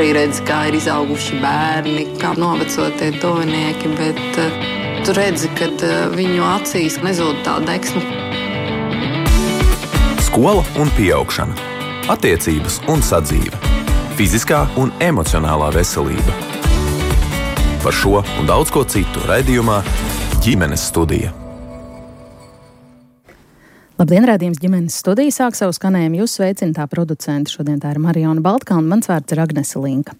arī redzi, kā ir izauguši bērni, kā noveco tie tuvinieki, bet tu redzi, ka viņu acīs nezūd tā deksme. Skola un pieaugšana, attiecības un sadzīve, fiziskā un emocionālā veselība. Par šo un daudz ko citu raidījumā Ģimenes studija. Labdien, raidījums Ģimenes studija sāk savu skanējumu. Jūs sveicina tā producente. Šodien tā ir Marijona Baltkalna, mans vārds ir Agnese Linka.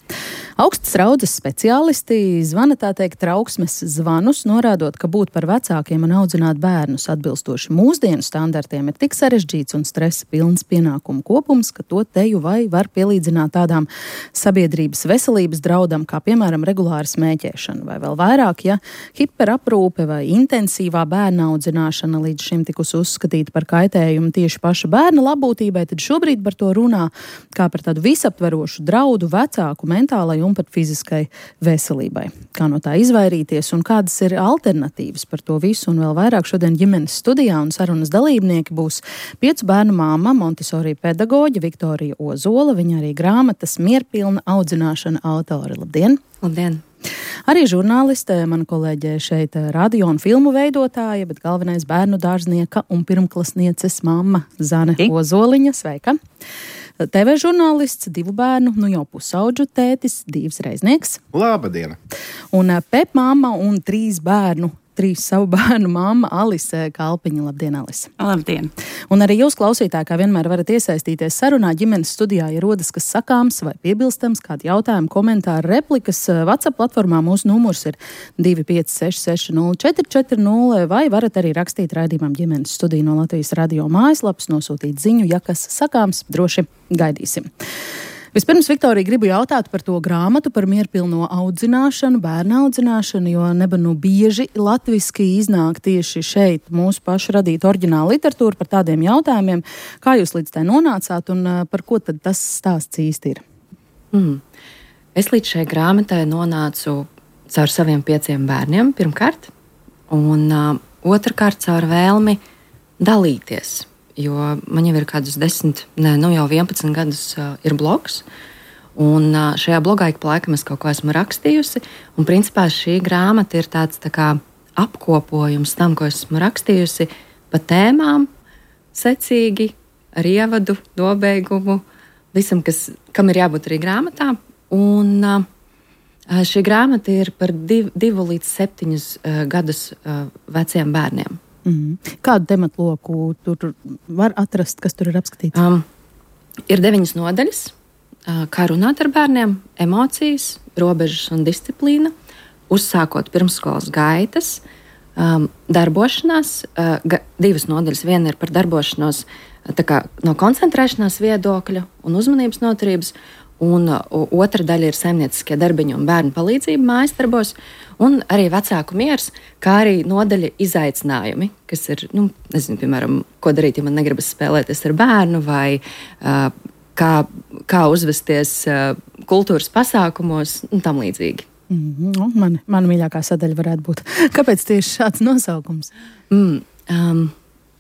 Augstas raudzes speciālisti zvana tā teikt trauksmes zvanus, norādot, ka būt par vecākiem un audzināt bērnus atbilstoši mūsdienu standartiem ir tik sarežģīts un stresa pilns pienākumu kopums, ka to teju vai var pielīdzināt tādām sabiedrības veselības draudam, kā piemēram regulāra smēķēšana, vai vēl vairāk, ja hiperaprūpe vai intensīvā bērna audzināšana līdz šim tikus uzskatīta par kaitējumu tieši paša bērna labūtībai, tad šobrīd par to runā kā par tādu visaptverošu draudu vecāku mentālai un pat fiziskai veselībai. Kā no tā izvairīties un kādas ir alternatīvas par to visu un vēl vairāk šodien ģimenes studijā un sarunas dalībnieki būs 5 bērnu māma, Montessori pedagoģe Viktorija Ozola, viņa arī grāmatas Mierpilna audzināšana autore. Labdien! Labdien! Arī žurnāliste, mana kolēģe šeit radio un filmu veidotāja, bet galvenais bērnu dārznieka un pirmklasnieces mamma Zane Ozoliņa. Sveika! TV žurnālists, 2 bērnu, jau pusauģu tētis, Dīvs Reiznieks. Labdien! Un Pep mamma un 3 bērnu, 3 savu bērnu mamma Alise Kalpiņa. Labdien, Alise! Labdien! Un arī jūs, klausītāji, kā vienmēr varat iesaistīties sarunā ģimenes studijā, ja rodas kas sakāms vai piebilstams, kādi jautājumi, komentāri, replikas. WhatsApp platformā mūsu numurs ir 256-60440 vai varat arī rakstīt raidījumam ģimenes studiju no Latvijas radio mājaslapas, nosūtīt ziņu, ja kas sakāms, droši gaidīsim. Vispirms, Viktorija, gribu jautāt par to grāmatu, par mierpilno audzināšanu, bērnu audzināšanu, jo bieži latviski iznāk tieši šeit mūsu pašu radīta oriģināla literatūra par tādiem jautājumiem. Kā jūs līdz tai nonācāt un par ko tad tas stāsts īsti ir? Es līdz šai grāmatai nonācu caur saviem 5 bērniem pirmkārt, un otrkārt caur vēlmi dalīties. Jo man jau ir kādus 11 gadus ir blogs, un šajā blogā ik pa laikam es kaut ko esmu rakstījusi, un principā šī grāmata ir tāds tā kā apkopojums tam, ko esmu rakstījusi pa tēmām, secīgi, ar ievadu, nobeigumu, visam, kam ir jābūt arī grāmatā, un šī grāmata ir par 2 līdz 7 gadus veciem bērniem. Kādu tematloku tur var atrast, kas tur ir apskatīts? Ir 9 nodaļas, kā runāt ar bērniem, emocijas, robežas un disciplīna, uzsākot pirmsskolas gaitas, darbošanās, 2 nodaļas, viena ir par darbošanos tā kā no koncentrēšanās viedokļa un uzmanības noturības, un otra daļa ir saimnieciskie darbiņi un bērnu palīdzība mājas darbos, un arī vecāku miers, kā arī nodaļa izaicinājumi, kas ir, piemēram, ko darīt, ja man negribas spēlēties ar bērnu, vai kā uzvesties kultūras pasākumos un tam līdzīgi. Mana mīļākā sadaļa varētu būt. Kāpēc tieši šāds nosaukums?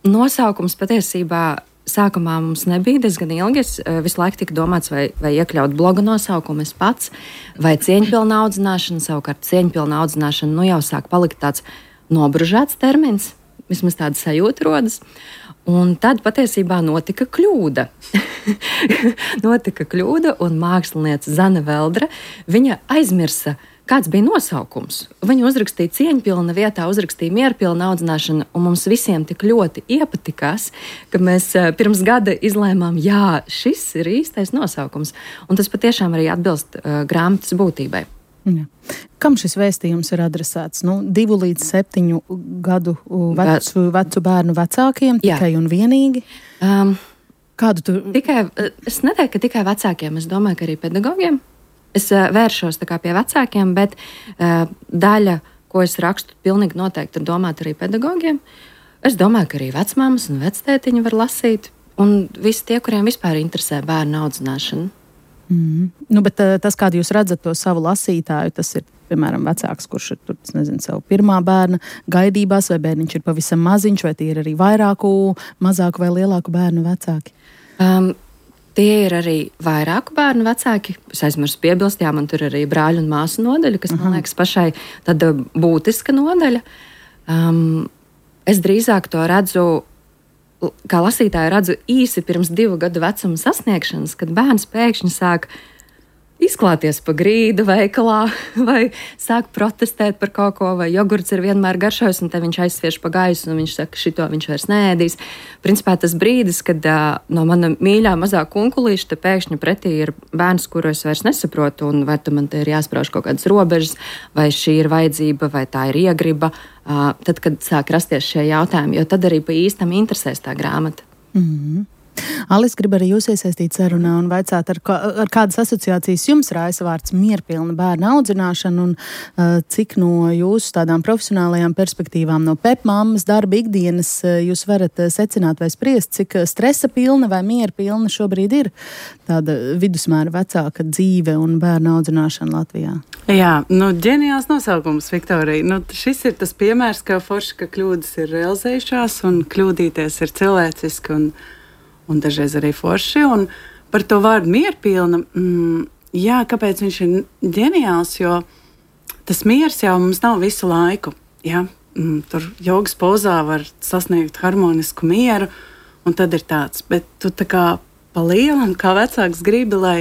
Nosaukums patiesībā sākumā mums nebija diezgan ilgi. Es visu laiku tika domāts, vai iekļaut bloga nosaukumu es pats, vai cieņpilna audzināšana. Savukārt cieņpilna audzināšana jau sāk palikt tāds nobružāts termins, vismaz tāda sajūta rodas. Un tad patiesībā notika kļūda. Un māksliniece Zane Veldre, viņa aizmirsa, kāds bija nosaukums. Viņa uzrakstīja cieņpilna vietā, uzrakstīja mierpilna audzināšana, un mums visiem tik ļoti iepatikās, ka mēs pirms gada izlēmām, jā, šis ir īstais nosaukums. Un tas patiešām arī atbilst grāmatas būtībai. Jā. Kam šis vēstījums ir adresēts? 2 līdz 7 gadu vecu bērnu vecākiem tikai un vienīgi? Kādu tu? Es neteiktu, ka tikai vecākiem, es domāju, ka arī pedagogiem. Es vēršos tā kā pie vecākiem, bet daļa, ko es rakstu, pilnīgi noteikti ir domāta arī pedagogiem. Es domāju, ka arī vecmāmas un vectētiņi var lasīt, un visi tie, kuriem vispār interesē bērnu audzināšana. Bet tas, kādu jūs redzat to savu lasītāju, tas ir, piemēram, vecāks, kurš ir tur, savu pirmā bērna gaidībās, vai bērniņš ir pavisam maziņš, vai tie ir arī mazāku vai lielāku bērnu vecāki? Tie ir arī vairāku bērnu vecāki. Es aizmirsu piebilst, jā, man tur arī brāļu un māsu nodaļa, kas, man liekas, pašai tāda būtiska nodaļa. Es drīzāk to redzu, kā lasītāju redzu īsi pirms 2 gadu vecuma sasniegšanas, kad bērns pēkšņi sāk izklāties pa grīdu veikalā, vai sāk protestēt par kaut ko, vai jogurts ir vienmēr garšojis, un te viņš aizsviež pa gaisu, un viņš saka, šito viņš vairs neēdīs. Principā tas brīdis, kad no mana mīļā mazā kunkulīša te pēkšņi pretī ir bērns, kuru es vairs nesaprotu, un vai tu man te ir jāsprauž kaut kādas robežas, vai šī ir vajadzība, vai tā ir iegriba, tad, kad sāk rasties šie jautājumi, jo tad arī pa īstam interesēs tā grāmata. Alis, grib arī jūs iesaistīt sarunā un vaicāt, ar kādas asociācijas jums raisa vārds mierpilna bērna audzināšana un cik no jūsu tādām profesionālajām perspektīvām, no pepmammas darba ikdienas jūs varat secināt vai spriest, cik stresa pilna vai mierpilna šobrīd ir tāda vidusmēra vecāka dzīve un bērna audzināšana Latvijā? Jā, ģeniāls nosaukums, Viktorija. Šis ir tas piemērs, ka forši, ka kļūdas ir realizējušās un kļūdīties ir cilvēciski un dažreiz arī forši. Un par to vārdu mierpilna, jā, kāpēc viņš ir ģeniāls, jo tas miers jau mums nav visu laiku. Jā? Tur jogas pozā var sasniegt harmonisku mieru, un tad ir tāds. Bet tu tā kā pa lielam, kā vecāks gribi, lai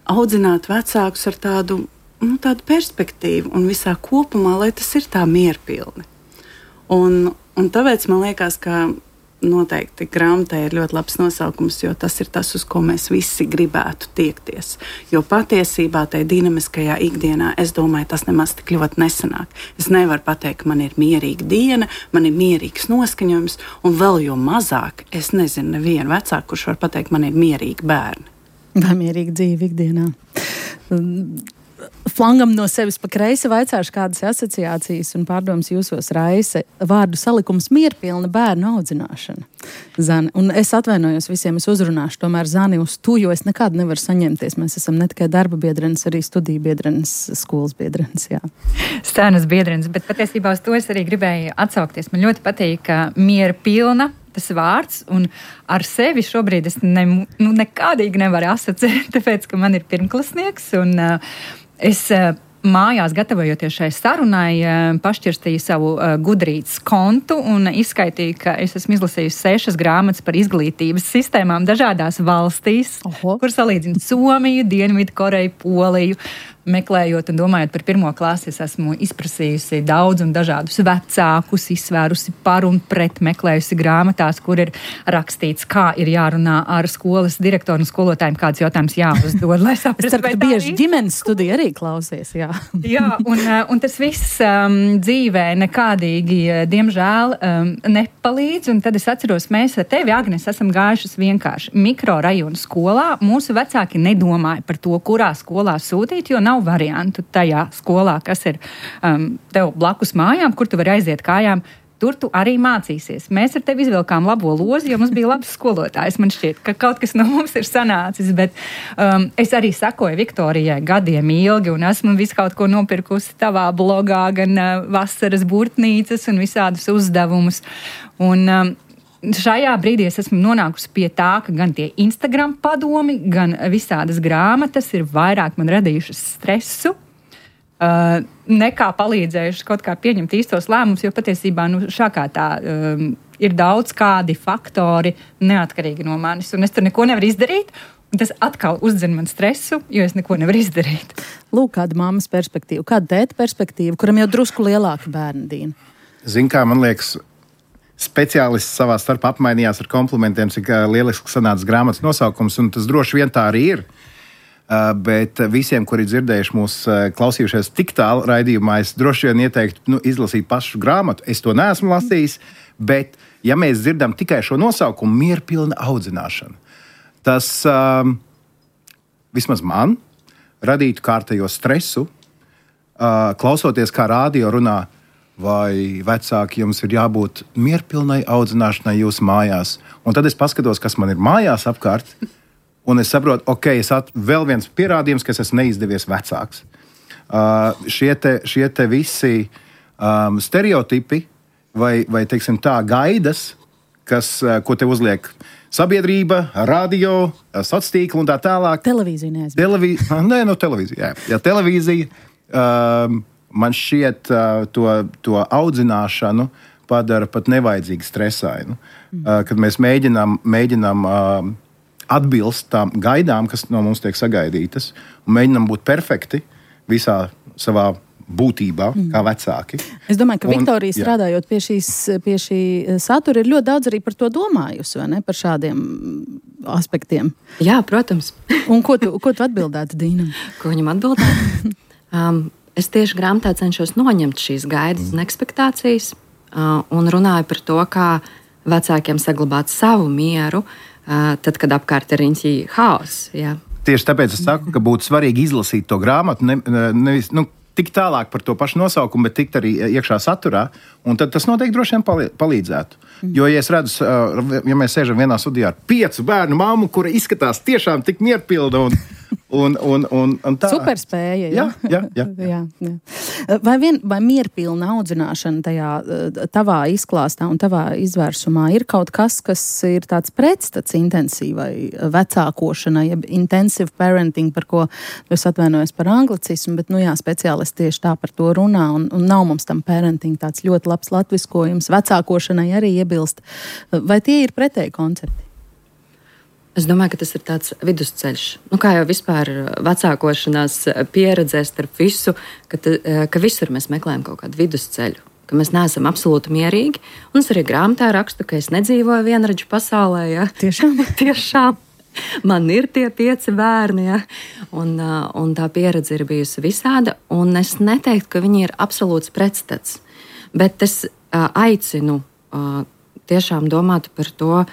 audzinātu vecākus ar tādu perspektīvu un visā kopumā, lai tas ir tā mierpilni. Un tāpēc man liekas, ka noteikti grāmatai ir ļoti labs nosaukums, jo tas ir tas, uz ko mēs visi gribētu tiekties. Jo patiesībā tajā dinamiskajā ikdienā, es domāju, tas nemaz tik ļoti nesanāk. Es nevaru pateikt, ka man ir mierīga diena, man ir mierīgs noskaņojums, un vēl jo mazāk, es nezinu nevienu vecāku, kurš var pateikt, man ir mierīgi bērni. Vai mierīga dzīve ikdienā? Flangam no sevis pa kreisi vaicāšu, kādas asociācijas un pārdomas jūsos raisa vārdu salikums mierpilna bērnu audzināšana. Zani, un es atvainojos visiem, es uzrunāšu tomēr Zani uz tu, jo es nekad nevaru saņemties. Mēs esam ne tikai darba biedrenes, arī studiju biedrenes, skolas biedrenes, jā. Stānas biedrenes, bet patiesībā uz to es arī gribēju atsaukties. Man ļoti patīk, ka mierpilna tas vārds, un ar sevi šobrīd es nekādīgi nevaru asociēt, tāpēc, ka man ir pirmklasnieks, un es mājās, gatavojoties šai sarunai, pašķirstīju savu Gudrītas kontu un izskaitīju, ka es esmu izlasījusi 6 grāmatas par izglītības sistēmām dažādās valstīs, kur salīdzinu Somiju, Dienvidu Koreju, Poliju. Meklējot un domājot par 1. klasi, es esmu izprasījusi daudz un dažādus vecākus, izsvērusi par un pret, meklējusi grāmatās, kur ir rakstīts, kā ir jārunā ar skolas direktoru un skolotājiem, kāds jautājums jāuzdod, lai saprastu. Es ceru, ka tu bieži ģimenes studiju arī klausies, jā. Jā, un tas viss dzīvē nekādīgi, diemžēl, nepalīdz, un tad es atceros, mēs ar tevi, Agnes, esam gājušas vienkārši mikrorajonu skolā. Mūsu vecāki nedomāja par to, kurā skolā sūtīt, jo nav variantu tajā skolā, kas ir tev blakus mājām, kur tu vari aiziet kājām. Tur tu arī mācīsies. Mēs ar tevi izvilkām labo lozi, jo mums bija labs skolotājs. Man šķiet, ka kaut kas no mums ir sanācis, bet es arī sekoju Viktorijai gadiem ilgi un esmu visu kaut ko nopirkusi tavā blogā, gan vasaras burtnīcas un visādus uzdevumus. Un šajā brīdī es esmu nonākusi pie tā, ka gan tie Instagram padomi, gan visādas grāmatas ir vairāk man radījušas stresu, nekā palīdzējuši kaut kā pieņemt īstos lēmumus, jo patiesībā šākā tā ir daudz kādi faktori neatkarīgi no manis, un es tur neko nevaru izdarīt, un tas atkal uzdzen man stresu, jo es neko nevaru izdarīt. Lūk, kāda mammas perspektīva, kāda tēta perspektīva, kuram jau drusku lielāka bērna Dīna. Zin kā, man liekas, speciālisti savā starpā apmainījās ar komplimentiem, cik lieliski sanāca grāmatas nosaukums, un tas droši vien tā arī ir. Bet visiem, kuri dzirdējuši mūs klausījušies tik tālu raidījumā, es droši vien ieteiktu izlasīt pašu grāmatu. Es to neesmu lasījis, bet ja mēs dzirdam tikai šo nosaukumu, mierpilna audzināšana, tas vismaz man radītu kārtējo stresu, klausoties, kā rādio runā, vai vecāki jums ir jābūt mierpilnai audzināšanai jūsu mājās. Un tad es paskatos, kas man ir mājās apkārt, un es saprotu, vēl viens pierādījums, ka es esmu neizdevies vecāks. Šie te visi stereotipi vai teiksim tā, gaidas, ko tev uzliek sabiedrība, radio, sociālā tīkla un tā tālāk. Televīzija neaizmirst. Televīzija. Jā, televīzija man šķiet to audzināšanu padara pat nevajadzīgi stresainu. Kad mēs mēģinām atbilst tām gaidām, kas no mums tiek sagaidītas, un mēģinām būt perfekti visā savā būtībā, kā vecāki. Es domāju, ka Viktorija strādājot pie šī satura ir ļoti daudz arī par to domājusi, vai ne? Par šādiem aspektiem. Jā, protams. Un ko tu atbildētu Dīnam? Ko viņam atbildētu? Es tieši grāmatā cenšos noņemt šīs gaidas un ekspektācijas un runāju par to, kā vecākiem saglabāt savu mieru, tad, kad apkārt ir riņķī haoss. Tieši tāpēc es saku, ka būtu svarīgi izlasīt to grāmatu, nevis tik tālāk par to pašu nosaukumu, bet tikt arī iekšā saturā, un tad tas noteikti droši vien palīdzētu. Jo, ja es redzu, ja mēs sēžam vienā studijā ar 5 bērnu mammu, kura izskatās tiešām tik mierpilda un tā. Superspēja, jā. Vai mierpilna audzināšana tajā tavā izklāstā un tavā izvērsumā ir kaut kas ir tāds pretstats intensīvai vecākošanai, jeb intensive parenting, par ko es atvainojos par anglicismu, bet, speciālisti tieši tā par to runā, un nav mums tam parenting tāds ļoti labs latviskojums, vecākošanai arī iebilst. Vai tie ir pretēji koncepti? Es domāju, ka tas ir tāds vidusceļš. Kā jau vispār vecākošanās pieredzēs starp visu, ka visur mēs meklējam kaut kādu vidusceļu, ka mēs neesam absolūti mierīgi. Un es arī grāmatā rakstu, ka es nedzīvoju vienradžu pasaulē. Ja? Tiešām. Man ir tie 5 bērni, ja? Un tā pieredze ir bijusi visāda. Un es neteiktu, ka viņi ir absolūts pretstats. Bet es aicinu tiešām domāt par to,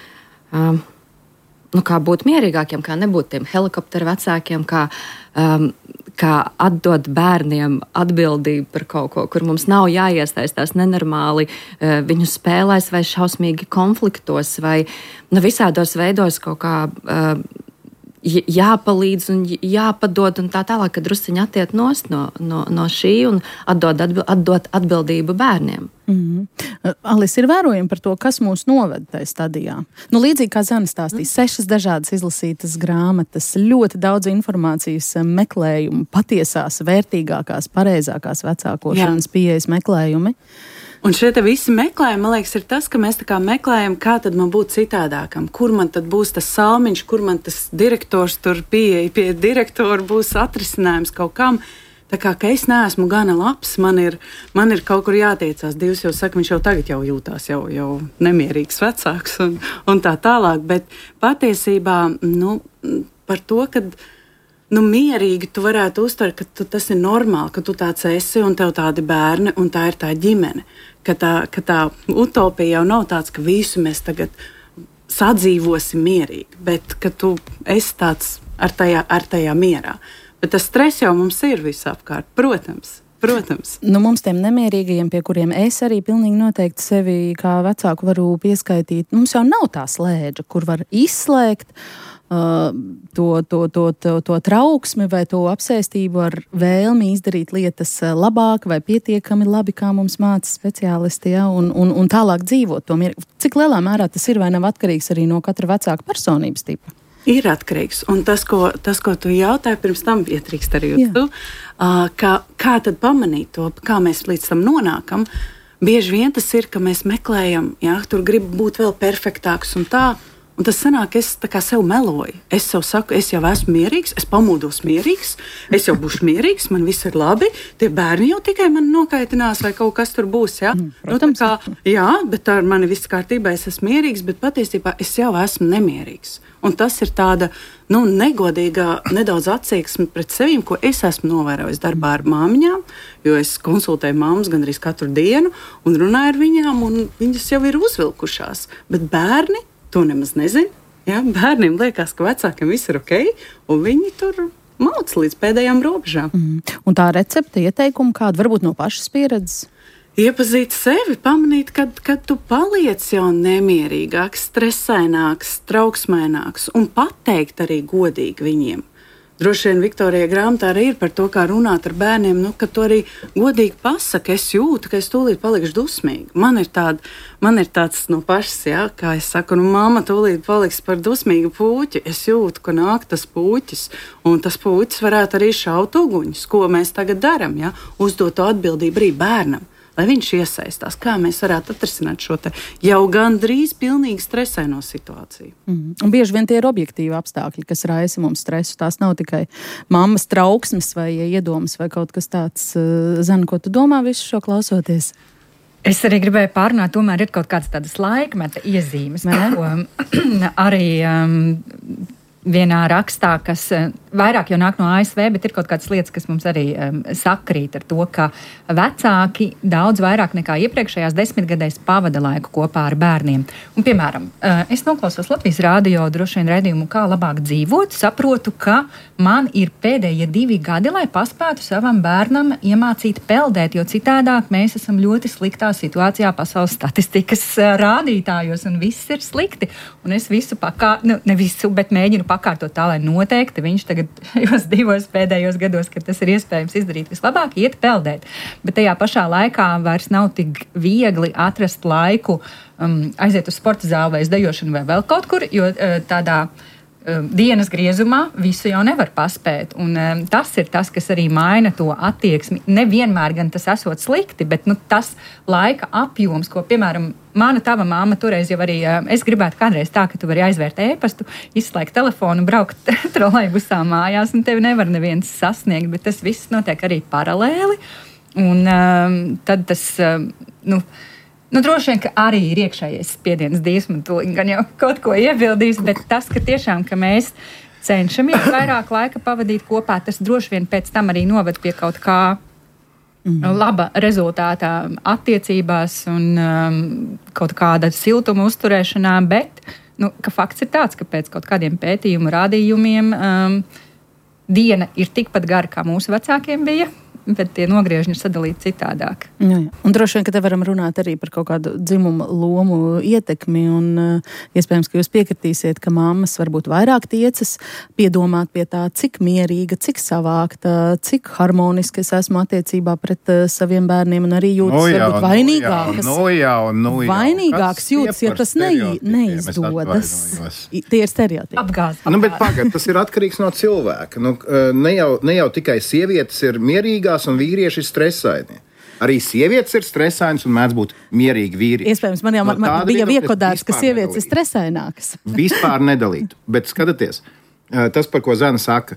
kā būt mierīgākiem, kā nebūt tiem helikopteru vecākiem, kā atdot bērniem atbildību par kaut ko, kur mums nav jāiesaistās nenormāli viņu spēlēs vai šausmīgi konfliktos vai visādos veidos kaut kā jāpalīdz un jāpadod un tā tālāk, kad drusciņi attiet nost no šī un atdot atbildību bērniem. Alis, ir vērojumi par to, kas mūs noved tajā stadijā. Līdzīgi kā Zana stāstīja, 6 dažādas izlasītas grāmatas, ļoti daudz informācijas meklējumu, patiesās, vērtīgākās, pareizākās vecākošanas pieejas meklējumi. Un šie te visi meklējumi, man liekas, ir tas, ka mēs tā kā meklējam, kā tad man būt citādākam, kur man tad būs tas salmiņš, kur man tas direktors tur pie direktora būs atrisinājums kaut kam. Tā kā es neesmu gana labs, man ir kaut kur jātiecās. Dievs jau saka, viņš jau tagad jūtās jau nemierīgs vecāks un tā tālāk. Bet patiesībā par to, ka mierīgi tu varētu uztvert, ka tas ir normāli, ka tu tāds esi un tev tādi bērni un tā ir tā ģimene. Ka tā utopija jau nav tāds, ka visu mēs tagad sadzīvosim mierīgi, bet ka tu esi tāds ar tajā mierā. Bet tas stress jau mums ir visapkārt, protams. Mums tiem nemierīgajiem, pie kuriem es arī pilnīgi noteikti sevi kā vecāku varu pieskaitīt, mums jau nav tā slēdža, kur var izslēgt to trauksmi vai to apsēstību ar vēlmi izdarīt lietas labāk vai pietiekami labi, kā mums māca speciālisti, un tālāk dzīvot to mieru. Cik lielā mērā tas ir vai nav atkarīgs arī no katra vecāka personības tipa? Ir atkarīgs. Un tas, ko tu jautāji, pirms tam ietrīkst arī uz tu, kā tad pamanīt to, kā mēs līdz tam nonākam. Bieži vien tas ir, ka mēs meklējam, tur grib būt vēl perfektāks un tā. Un tas sanāk, es tā kā sev meloju. Es sev saku, es jau esmu mierīgs, es pamodos mierīgs, es jau būšu mierīgs, man viss ir labi, tie bērni jau tikai man nokaitinās vai kaut kas tur būs, ja? Protams. Bet ar mani viss kārtībā, es esmu mierīgs, bet patiesībā es jau esmu nemierīgs. Un tas ir tāda, negodīga nedaudz attieksme pret sevīm, ko es esmu novērojis darbā ar māmiņām, jo es konsultēju māmas gandrīz katru dienu un runāju ar viņām, un viņas jau ir uzvilkušās. Bet bērni to nemaz nezina. Ja? Bērniem liekas, ka vecākiem viss ir ok, un viņi tur mauc līdz pēdējām robežām. Un tā recepte, ieteikuma kāda, varbūt no pašas pieredzes? Iepazīt sevi, pamanīt, kad tu paliec jau nemierīgāks, stresaināks, trauksmaināks, un pateikt arī godīgi viņiem. droši vien Viktorija grāmatā arī ir par to, kā runāt ar bērniem, ka tu arī godīgi pasaki, es jūtu, ka es tūlīt palikšu dusmīga. Man ir tāds no pašas, kā es saku, mamma tūlīt paliks par dusmīgu puķi. Es jūtu, ka nāk tas puķis, un tas puķis varētu arī šaut uguņus. Ko mēs tagad darām? Uzdot to atbildību arī bērnam. Lai viņš iesaistās, kā mēs varētu atrisināt šo jau gandrīz pilnīgi stresaino situāciju. Bieži vien tie ir objektīvi apstākļi, kas raisa mums stresu. Tās nav tikai mammas trauksmes vai iedomas vai kaut kas tāds. Zana, ko tu domā visu šo klausoties? Es arī gribēju pārunāt, tomēr ir kaut kādas tādas laikmeta iezīmes, ko arī vienā rakstā, kas vairāk jau nāk no ASV, bet ir kaut kādas lietas, kas mums arī sakrīt ar to, ka vecāki daudz vairāk nekā iepriekšējās 10 gadēs pavada laiku kopā ar bērniem. Un, piemēram, es noklausos Latvijas rādio droši vien raidījumu, kā labāk dzīvot, saprotu, ka man ir pēdējie 2 gadi, lai paspētu savam bērnam iemācīt peldēt, jo citādāk mēs esam ļoti sliktā situācijā pasaules statistikas rādītājos, un viss ir slikti. Un es visu ne visu, bet mēģinu pakārtot tā, lai noteikti viņš tagad šajos 2 pēdējos gados, kad tas ir iespējams izdarīt vislabāk, iet peldēt. Bet tajā pašā laikā vairs nav tik viegli atrast laiku aiziet uz sporta zāli vai uz dejošanu vai vēl kaut kur, jo tādā dienas griezumā visu jau nevar paspēt. Un tas ir tas, kas arī maina to attieksmi. Nevienmēr gan tas esot slikti, bet tas laika apjoms, ko, piemēram, mana tava māma toreiz jau arī, es gribētu kādreiz tā, ka tu vari aizvērt e-pastu, izslēgt telefonu, braukt trolejbusā mājās, un tevi nevar neviens sasniegt, bet tas viss notiek arī paralēli. Un tad tas, droši vien, ka arī ir iekšējais spiediens Dievs, man tūlīt gan jau kaut ko iebildīs, bet tas, ka tiešām, ka mēs cenšamies vairāk laika pavadīt kopā, tas droši vien pēc tam arī noved pie kaut kā laba rezultātā attiecībās un kaut kāda siltuma uzturēšanā, bet ka fakts ir tāds, ka pēc kaut kādiem pētījumu rādījumiem diena ir tikpat gara, kā mūsu vecākiem bija, bet tie nogriežņi ir sadalīti citādāk. Jā. Un droši vien, ka te varam runāt arī par kaut kādu dzimuma lomu ietekmi, un iespējams, ka jūs piekritīsiet, ka mammas varbūt vairāk tiecas piedomāt pie tā, cik mierīga, cik savākta, cik harmoniski es esmu attiecībā pret saviem bērniem, un arī jūtas varbūt vainīgākas. Vainīgāks jūtas, ja tas neizdodas. Tie ir stereotipi. Apgāzi. Bet pagad, tas ir atkarīgs no cilvēka. Ne jau tikai sievietes ir mierīgās un vīrieši ir stresaini. Arī sievietes ir stresainas un mēdz būt mierīgi vīrieši. Iespējams, man bija iekodēts, ka sievietes ir stresainākas. Vispār nedalītu. Bet skatieties, tas, par ko Zana saka,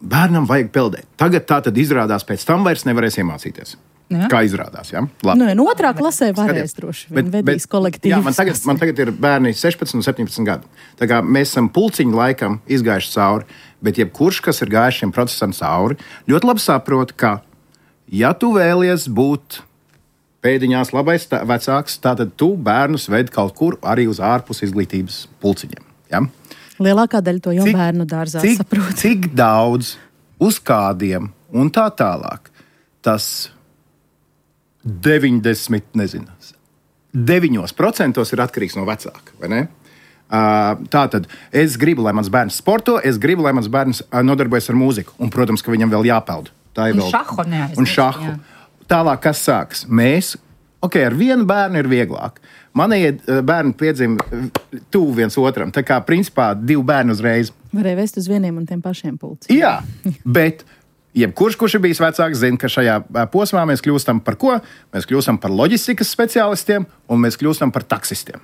bērnam vajag peldēt. Tagad tā tad izrādās, pēc tam vairs nevarēs iemācīties. Ja? Kā izrādās, ja? Labi. Otrā klasē varēs droši vien vedīs kolektīvs. Jā, man tagad ir bērni 16 un 17 gadu. Tā kā mēs esam pulciņu laikam izgājuši cauri, bet jebkurš, kas ir gājuši šiem procesam cauri, ļoti labi saprot, ka, ja tu vēlies būt pēdiņās labais vecāks, tātad tu bērnus ved kaut kur arī uz ārpus izglītības pulciņiem. Ja? Lielākā daļa to jau bērnu dārzā saprot. Cik daudz, uz kādiem un tā tālāk. Tas 9% ir atkarīgs no vecāka, vai ne? Tātad es gribu, lai mans bērns sporto, es gribu, lai mans bērns nodarbojas ar mūziku, un, protams, ka viņam vēl jāpeld. Tā ir vēl. Un šahu. Tālāk, kas sāks? Mēs, ar vienu bērnu ir vieglāk. Manējie bērni piedzima tuvu viens otram, tā kā principā 2 bērni uzreiz. Varēja vest uz vieniem un tiem pašiem pulciem. Jā, bet jebkurš, kurš ir bijis vecāks, zina, ka šajā posmā mēs kļūstam par ko? Mēs kļūstam par loģistikas speciālistiem un mēs kļūstam par taksistiem.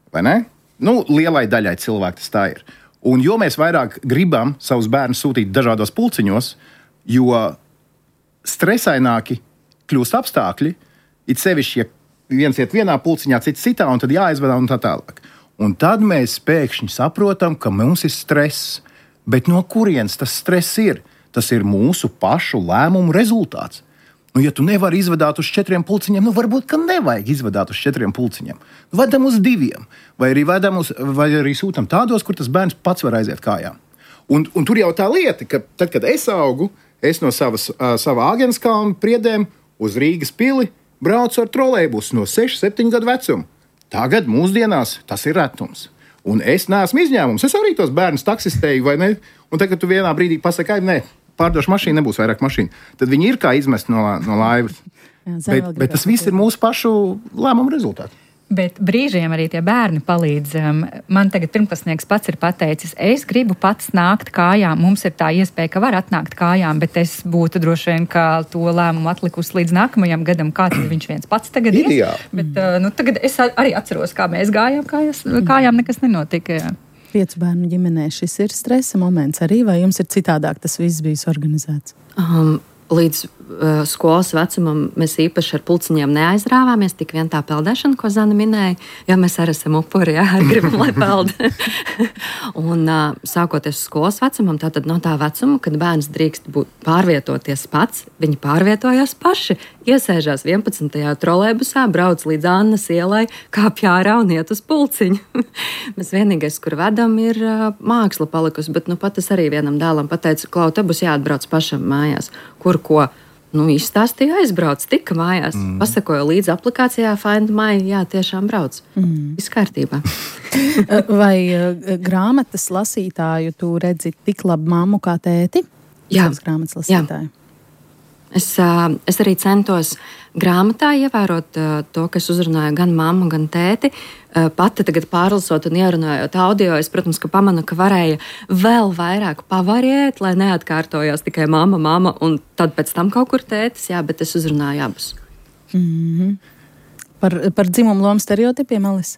Vai ne? Lielai daļai cilvēku tas tā ir. Un jo mēs vairāk gribam savus bērnus sūtīt dažādos pulciņos, jo stresaināki kļūst apstākļi, it sevišķi, ja viens iet vienā pulciņā, cits citā, un tad jāizvedā un tā tālāk. Un tad mēs pēkšņi saprotam, ka mums ir stress. Bet no kurienes tas stress ir? Tas ir mūsu pašu lēmumu rezultāts. Ja tu nevari izvadāt uz 4 pulciņiem, varbūt, ka nevajag izvadāt uz 4 pulciņiem. Vedam uz 2, vai arī sūtam tādos, kur tas bērns pats var aiziet kājām. Un tur jau tā lieta, ka tad, kad es augu, es no sava Āgenskalna priedēm uz Rīgas pili braucu ar trolejbusu no 6-7 gadu vecuma. Tagad mūsdienās tas ir retums. Un es neesmu izņēmums. Es arī tos bērnus taksistēju, vai ne? Un tagad, kad tu vienā brīdī pasaki, nē, pārdošu mašīnu, nebūs vairāk mašīnu, tad viņi ir kā izmest no laivas. Bet tas viss ir mūsu pašu lēmumu rezultāts. Bet brīžiem arī tie bērni palīdz. Man tagad pirmklasnieks pats ir pateicis, es gribu pats nākt kājām. Mums ir tā iespēja, ka var atnākt kājām, bet es būtu droši vien, ka to lēmumu atlikusi līdz nākamajam gadam, kā tad viņš viens pats tagad ies. Bet tagad es arī atceros, kā mēs gājām kājām, nekas nenotika. Jā. 5 bērnu ģimenē šis ir stresa moments arī, vai jums ir citādāk tas viss bijis organizēts? Līdz skolas vecumam mēs īpaši ar pulciņiem neaizrāvāmies, tik vien tā peldēšana, ko Zana minēja, jo mēs arī esam upuri, jā, gribam, lai peld. Un sākoties skolas vecumam, tātad no tā vecuma, kad bērns drīkst pārvietoties pats, viņi pārvietojās paši, iesēžās 11. trolejbusā, brauc līdz Annas ielai, kāpj ārā un iet uz pulciņu. Mēs vienīgais, kur vedam, ir māksla palikusi, bet pat es arī vienam dēlam pateicu, Klau, te būs jāatbrauc pašam mājās, kur ko. Izstāstīja, aizbrauc, tika mājās. Pasakoju līdzi aplikācijā Find My, jā, tiešām brauc. Viss kārtībā. Vai grāmatas lasītāju tu redzi tik labu mammu kā tēti? Jā. Grāmatas lasītāju. Jā. Es arī centos grāmatā ievērot to, kas uzrunāja gan mammu, gan tēti. Pati tagad pārlasot un ierunājot audio, es, protams, ka pamanu, ka varēja vēl vairāk pavariēt, lai neatkārtojās tikai mamma, un tad pēc tam kaut kur tētis, jā, bet es uzrunāju abus. Par dzimumu lomu stereotipiem, Alis?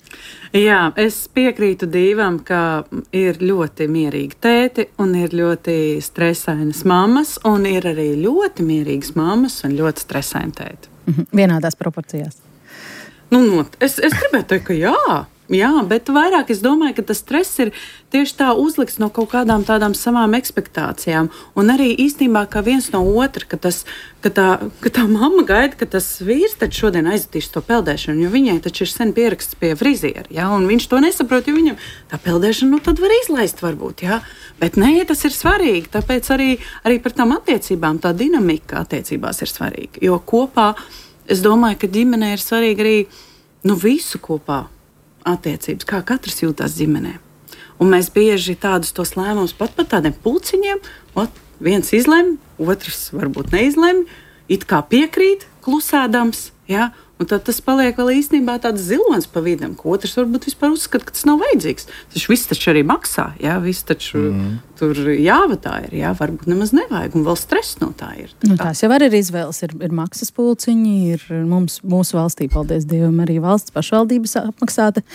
Jā, es piekrītu Dīvam, ka ir ļoti mierīgi tēti un ir ļoti stresainas mammas, un ir arī ļoti mierīgas mammas un ļoti stresaini tēti. Vienādās proporcijās. Es gribētu teikt, ka jā, bet vairāk es domāju, ka tas stress ir tieši tā uzlikts no kaut kādām tādām savām ekspektācijām. Un arī īstenībā kā viens no otra, ka tā mamma gaida, ka tas vīrs tad šodien aizvadīs to peldēšanu, jo viņai taču ir sen pieraksts pie friziera, ja? Un viņš to nesaprot, jo viņam tā peldēšana tad var izlaist varbūt, ja? Bet nē, tas ir svarīgi, tāpēc arī par tām attiecībām tā dinamika attiecībās ir svarīga, jo kopā es domāju, ka ģimenē ir svarīgi arī visu kopā attiecības, kā katrs jūtas ģimenē. Un mēs bieži tādus tos lēmumus pat par tādiem pulciņiem, viens izlemj, otrs varbūt neizlemj, it kā piekrīt, klusēdams, ja? Un tad tas paliek vēl īstenībā tāds zilonis pa vidam, ko otrs varbūt vispār uzskata, ka tas nav vajadzīgs. Tas viss taču arī maksā, ja? Viss taču tur jāvatā ir, ja? Varbūt nemaz nevajag, un vēl stress no tā ir. Tās jau arī ir izvēles, ir maksas pulciņi, ir mūsu valstī, paldies Dievam, arī valsts pašvaldības apmaksāta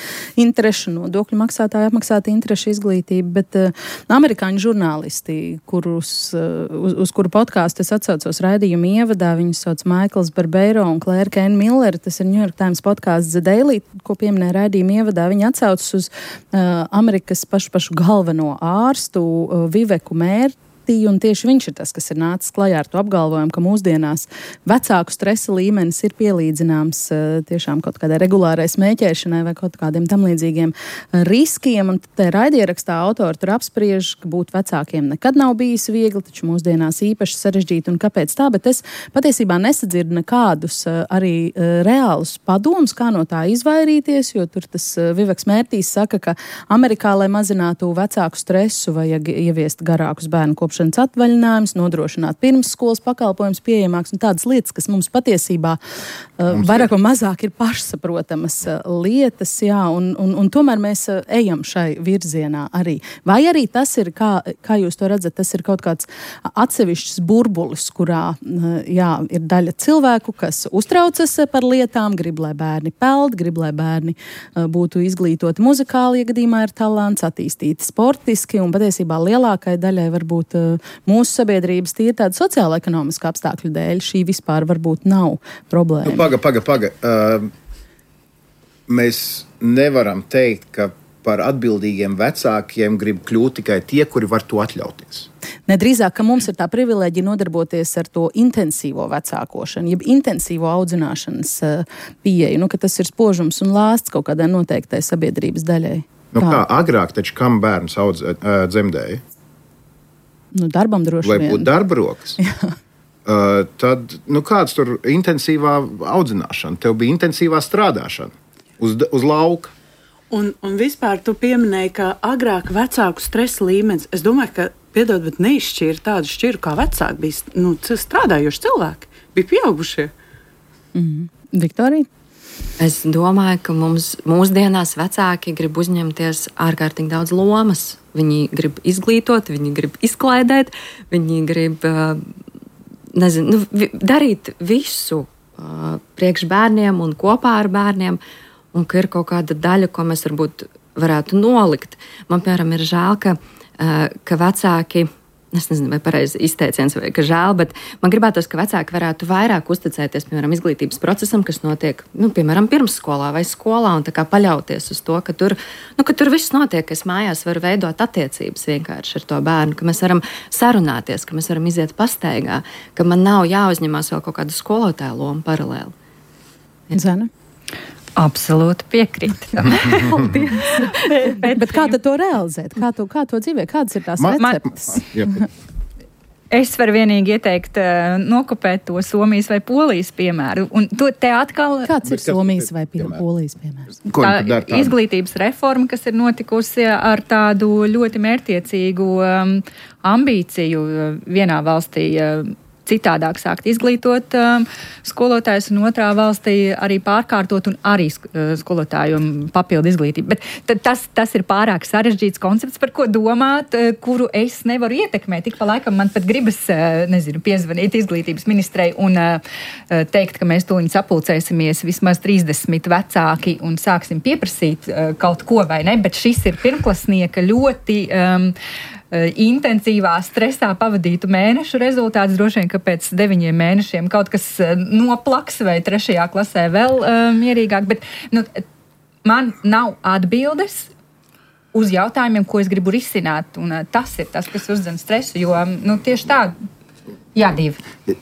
interešu, nodokļu maksātāja apmaksāta interešu izglītība, bet amerikāņu žurnālisti, uz kuru podkāstu es atsaucos raidījumu ievadā, viņus sauc Maikls Barbeiro un Claire Kane Miller. Tas ir New York Times podkāsts The Daily, ko pieminēja raidījuma ievadā. Viņi atsaucas uz Amerikas pašu galveno ārstu Viveku Mērti, un tieši viņš ir tas, kas ir nācis klajā ar to apgalvojumu, ka mūsdienās vecāku stresa līmenis ir pielīdzināms tiešām kaut kādai regulārai smēķēšanai vai kaut kādiem tam līdzīgiem riskiem. Un te raidierakstā autori tur apspriež, ka būt vecākiem nekad nav bijis viegli, taču mūsdienās īpaši sarežģīti un kāpēc tā, bet es patiesībā nesadzirdu nekādus arī reālus padomus, kā no tā izvairīties, jo tur tas Viveks Mērtīs saka, ka Amerikā, lai mazinātu vecāku stresu, vajag ieviest garākus bērnu kopšanas atvaļinājums, nodrošināt pirmsskolas pakalpojums pieejamāks un tādas lietas, kas mums patiesībā vairāk vai mazāk ir pašsaprotamas lietas, jā, un tomēr mēs ejam šai virzienā arī. Vai arī tas ir, kā jūs to redzat, tas ir kaut kāds atsevišķs burbulis, kurā, jā, ir daļa cilvēku, kas uztraucas par lietām, grib, lai bērni peld, grib, lai bērni būtu izglītoti muzikāli, ja gadījumā ir talants, attīstīti sportiski, un patiesībā lielākai daļai varbūt mūsu sabiedrības tīri tāda sociāla-ekonomiska apstākļu dēļ šī vispār varbūt nav problēma. Paga. Mēs nevaram teikt, ka par atbildīgiem vecākiem grib kļūt tikai tie, kuri var to atļauties. Nedrīzāk, ka mums ir tā privilēģija nodarboties ar to intensīvo vecākošanu, jeb intensīvo audzināšanas pieeju, ka tas ir spožums un lāsts kaut kādai noteiktai sabiedrības daļai. Kā agrāk taču kam bērns dzemdēja? Darbam droši vien. Lai būtu darba rokas. Tad, kāds tur intensīvā audzināšana? Tev bija intensīvā strādāšana uz lauka. Un vispār tu pieminēji, ka agrāk vecāku stresa līmenis, es domāju, ka, piedod, bet neizšķīra tādu šķiru, kā vecāki bija strādājuši cilvēki, bija pieaugušie. Viktorija? Es domāju, ka mūsdienās vecāki grib uzņemties ārkārtīgi daudz lomas. Viņi grib izglītot, viņi grib izklaidēt, viņi grib darīt visu priekš bērniem un kopā ar bērniem, un ka ir kaut kāda daļa, ko mēs varbūt varētu nolikt. Man, piemēram, ir žēl, ka vecāki, es nezinu, vai pareizi izteiciens, vai ka žēl, bet man gribētos, ka vecāki varētu vairāk uzticēties, piemēram, izglītības procesam, kas notiek, piemēram, pirmsskolā vai skolā, un tā kā paļauties uz to, ka tur viss notiek, ka es mājās varu veidot attiecības vienkārši ar to bērnu, ka mēs varam sarunāties, ka mēs varam iziet pastaigā, ka man nav jāuzņemās vēl kaut kāda skolotāja loma paralēli. Zana? Absolūti piekrīt. bet kā to realizēt? Kā to dzīvē? Kādas ir tās receptes? Es varu vienīgi ieteikt nokopēt to Somijas vai Polijas piemēru. Un te atkal... Kāds ir Somijas vai Polijas piemērs? Tā izglītības reforma, kas ir notikusi ar tādu ļoti mērķtiecīgu ambīciju vienā valstī citādāk sākt izglītot skolotājus, un otrā valstī arī pārkārtot un arī skolotāju papildu izglītību. Bet tas ir pārāk sarežģīts koncepts, par ko domāt, kuru es nevaru ietekmēt. Tik pa laikam man pat gribas, piezvanīt izglītības ministrei un teikt, ka mēs tūliņ sapulcēsimies vismaz 30 vecāki un sāksim pieprasīt kaut ko vai ne, bet šis ir pirmklasnieka ļoti intensīvā stresā pavadītu mēnešu rezultāts. Droši vien, ka pēc 9 mēnešiem kaut kas noplaks vai 3. klasē vēl mierīgāk, bet man nav atbildes uz jautājumiem, ko es gribu risināt, un tas ir tas, kas uzdzen stresu, jo tieši tā, divi.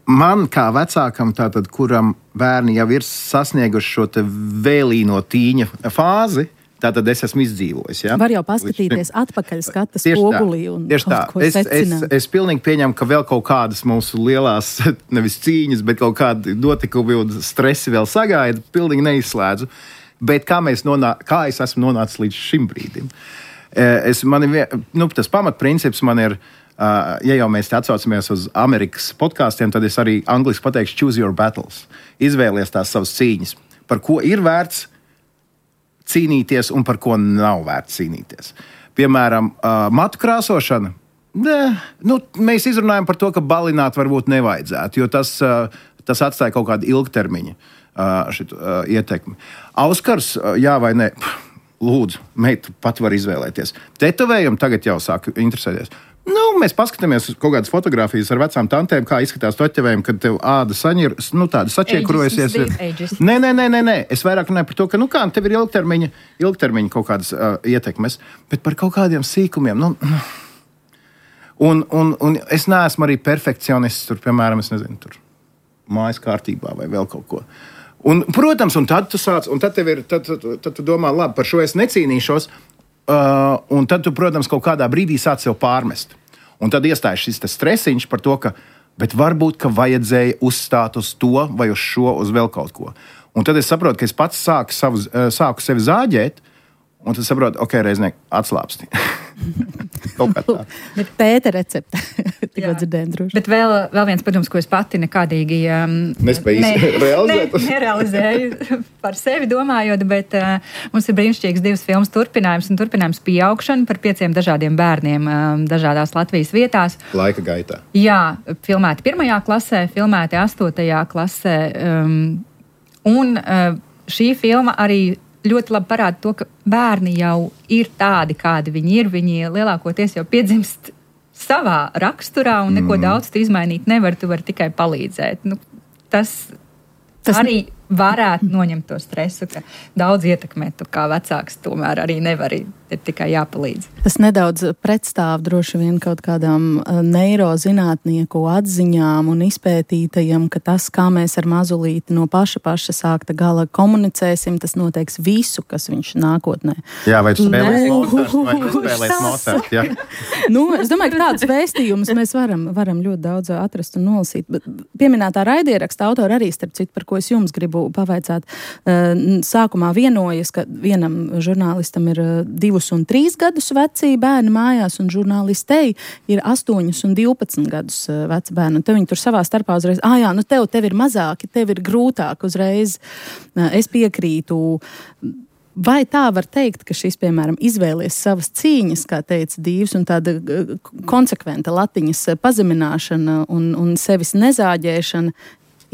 Man kā vecākam, tātad, kuram bērni jau ir sasnieguši šo te vēlīno tīņa fāzi, tātad es esmu izdzīvojis. Ja? Var jau paskatīties atpakaļ skata spogulī un kaut ko secināt. Es pilnīgi pieņemu, ka vēl kaut kādas mūsu lielās, nevis cīņas, bet kaut kādi notikumi un stresi vēl sagaida, pilnīgi neizslēdzu. Bet kā es esmu nonācis līdz šim brīdim? Tas pamatprincips man ir, ja jau mēs atsaucamies uz Amerikas podkāstiem, tad es arī angliski pateikšu choose your battles. Izvēlies tās savas cīņas. Par ko ir vērts cīnīties un par ko nav vērts cīnīties. Piemēram, matu krāsošana. Mēs izrunājam par to, ka balināt varbūt nevajadzētu, jo tas atstāja kaut kādu ilgtermiņu ietekmi. Auskars, jā vai nē? Lūdzu, meita pat var izvēlēties. Tetovējumi tagad jau sāk interesēties. Mēs paskatāmies uz kaut kādas fotogrāfijas ar vecām tantēm, kā izskatās toķevējumi, kad tev āda saņir, tāda sačiekrojusies. Nē. Es vairāk runāju par to, ka tev ir ilgtermiņa kaut kādas ietekmes, bet par kaut kādiem sīkumiem. Un es neesmu arī perfekcionists, piemēram, es nezinu, mājas kārtībā vai vēl kaut ko. Un, protams, un tad tu sāc, un tad tu domā, labi, par šo es necīnīšos, un tad tu, protams, kaut kādā brīdī sāc sev pārmest. Un tad iestājas šis stresiņš par to, bet varbūt, ka vajadzēja uzstāt uz to vai uz šo, uz vēl kaut ko. Un tad es saprotu, ka es pats sāku sevi zāģēt, un tad saprotu, reizniek, atslāpsti. Kaut kā tā. Bet Pēta recepte. Tikko dzirdējām droši. Bet vēl viens padoms, ko es pati nekādīgi nerealizēju par sevi domājot, bet mums ir brīnišķīgs 2 filmas turpinājums Pieaugšana par 5 dažādiem bērniem dažādās Latvijas vietās. Laika gaitā. Jā, filmēti 1. klasē, filmēti 8. klasē. Un šī filma arī ļoti labi parāda to, ka bērni jau ir tādi, kādi viņi ir. Viņi lielākoties jau piedzimst savā raksturā un neko daudz tu izmainīt nevar, tu vari tikai palīdzēt. Tas arī varētu noņemt to stresu, ka daudz ietekmēt tu kā vecāks tomēr arī nevar, ir tikai jāpalīdz. Tas nedaudz pretstāv droši vien kaut kādām neirozinātnieku atziņām un izpētītajiem, ka tas, kā mēs ar mazulīti no paša sākta gala komunicēsim, tas noteiks visu, kas viņš nākotnē. Jā, vai tu spēlēs Mozart, jā? Es domāju, ka tādus vēstījumus mēs varam ļoti daudz atrast un nolasīt. Bet pieminētā raidieraksta autora arī, starp citu, par ko es jums gribu gribu pavaicāt. Sākumā vienojas, ka vienam žurnālistam ir 2 un 3 gadus veci bērni mājās, un žurnālistei ir 8 un 12 gadus veci bērni. Un te viņi tur savā starpā uzreiz, jā, nu tev ir mazāki, tev ir grūtāk uzreiz. Es piekrītu. Vai tā var teikt, ka šis, piemēram, izvēlies savas cīņas, kā teica Dīvs, un tāda konsekventa latiņas pazemināšana un sevis nezāģēšana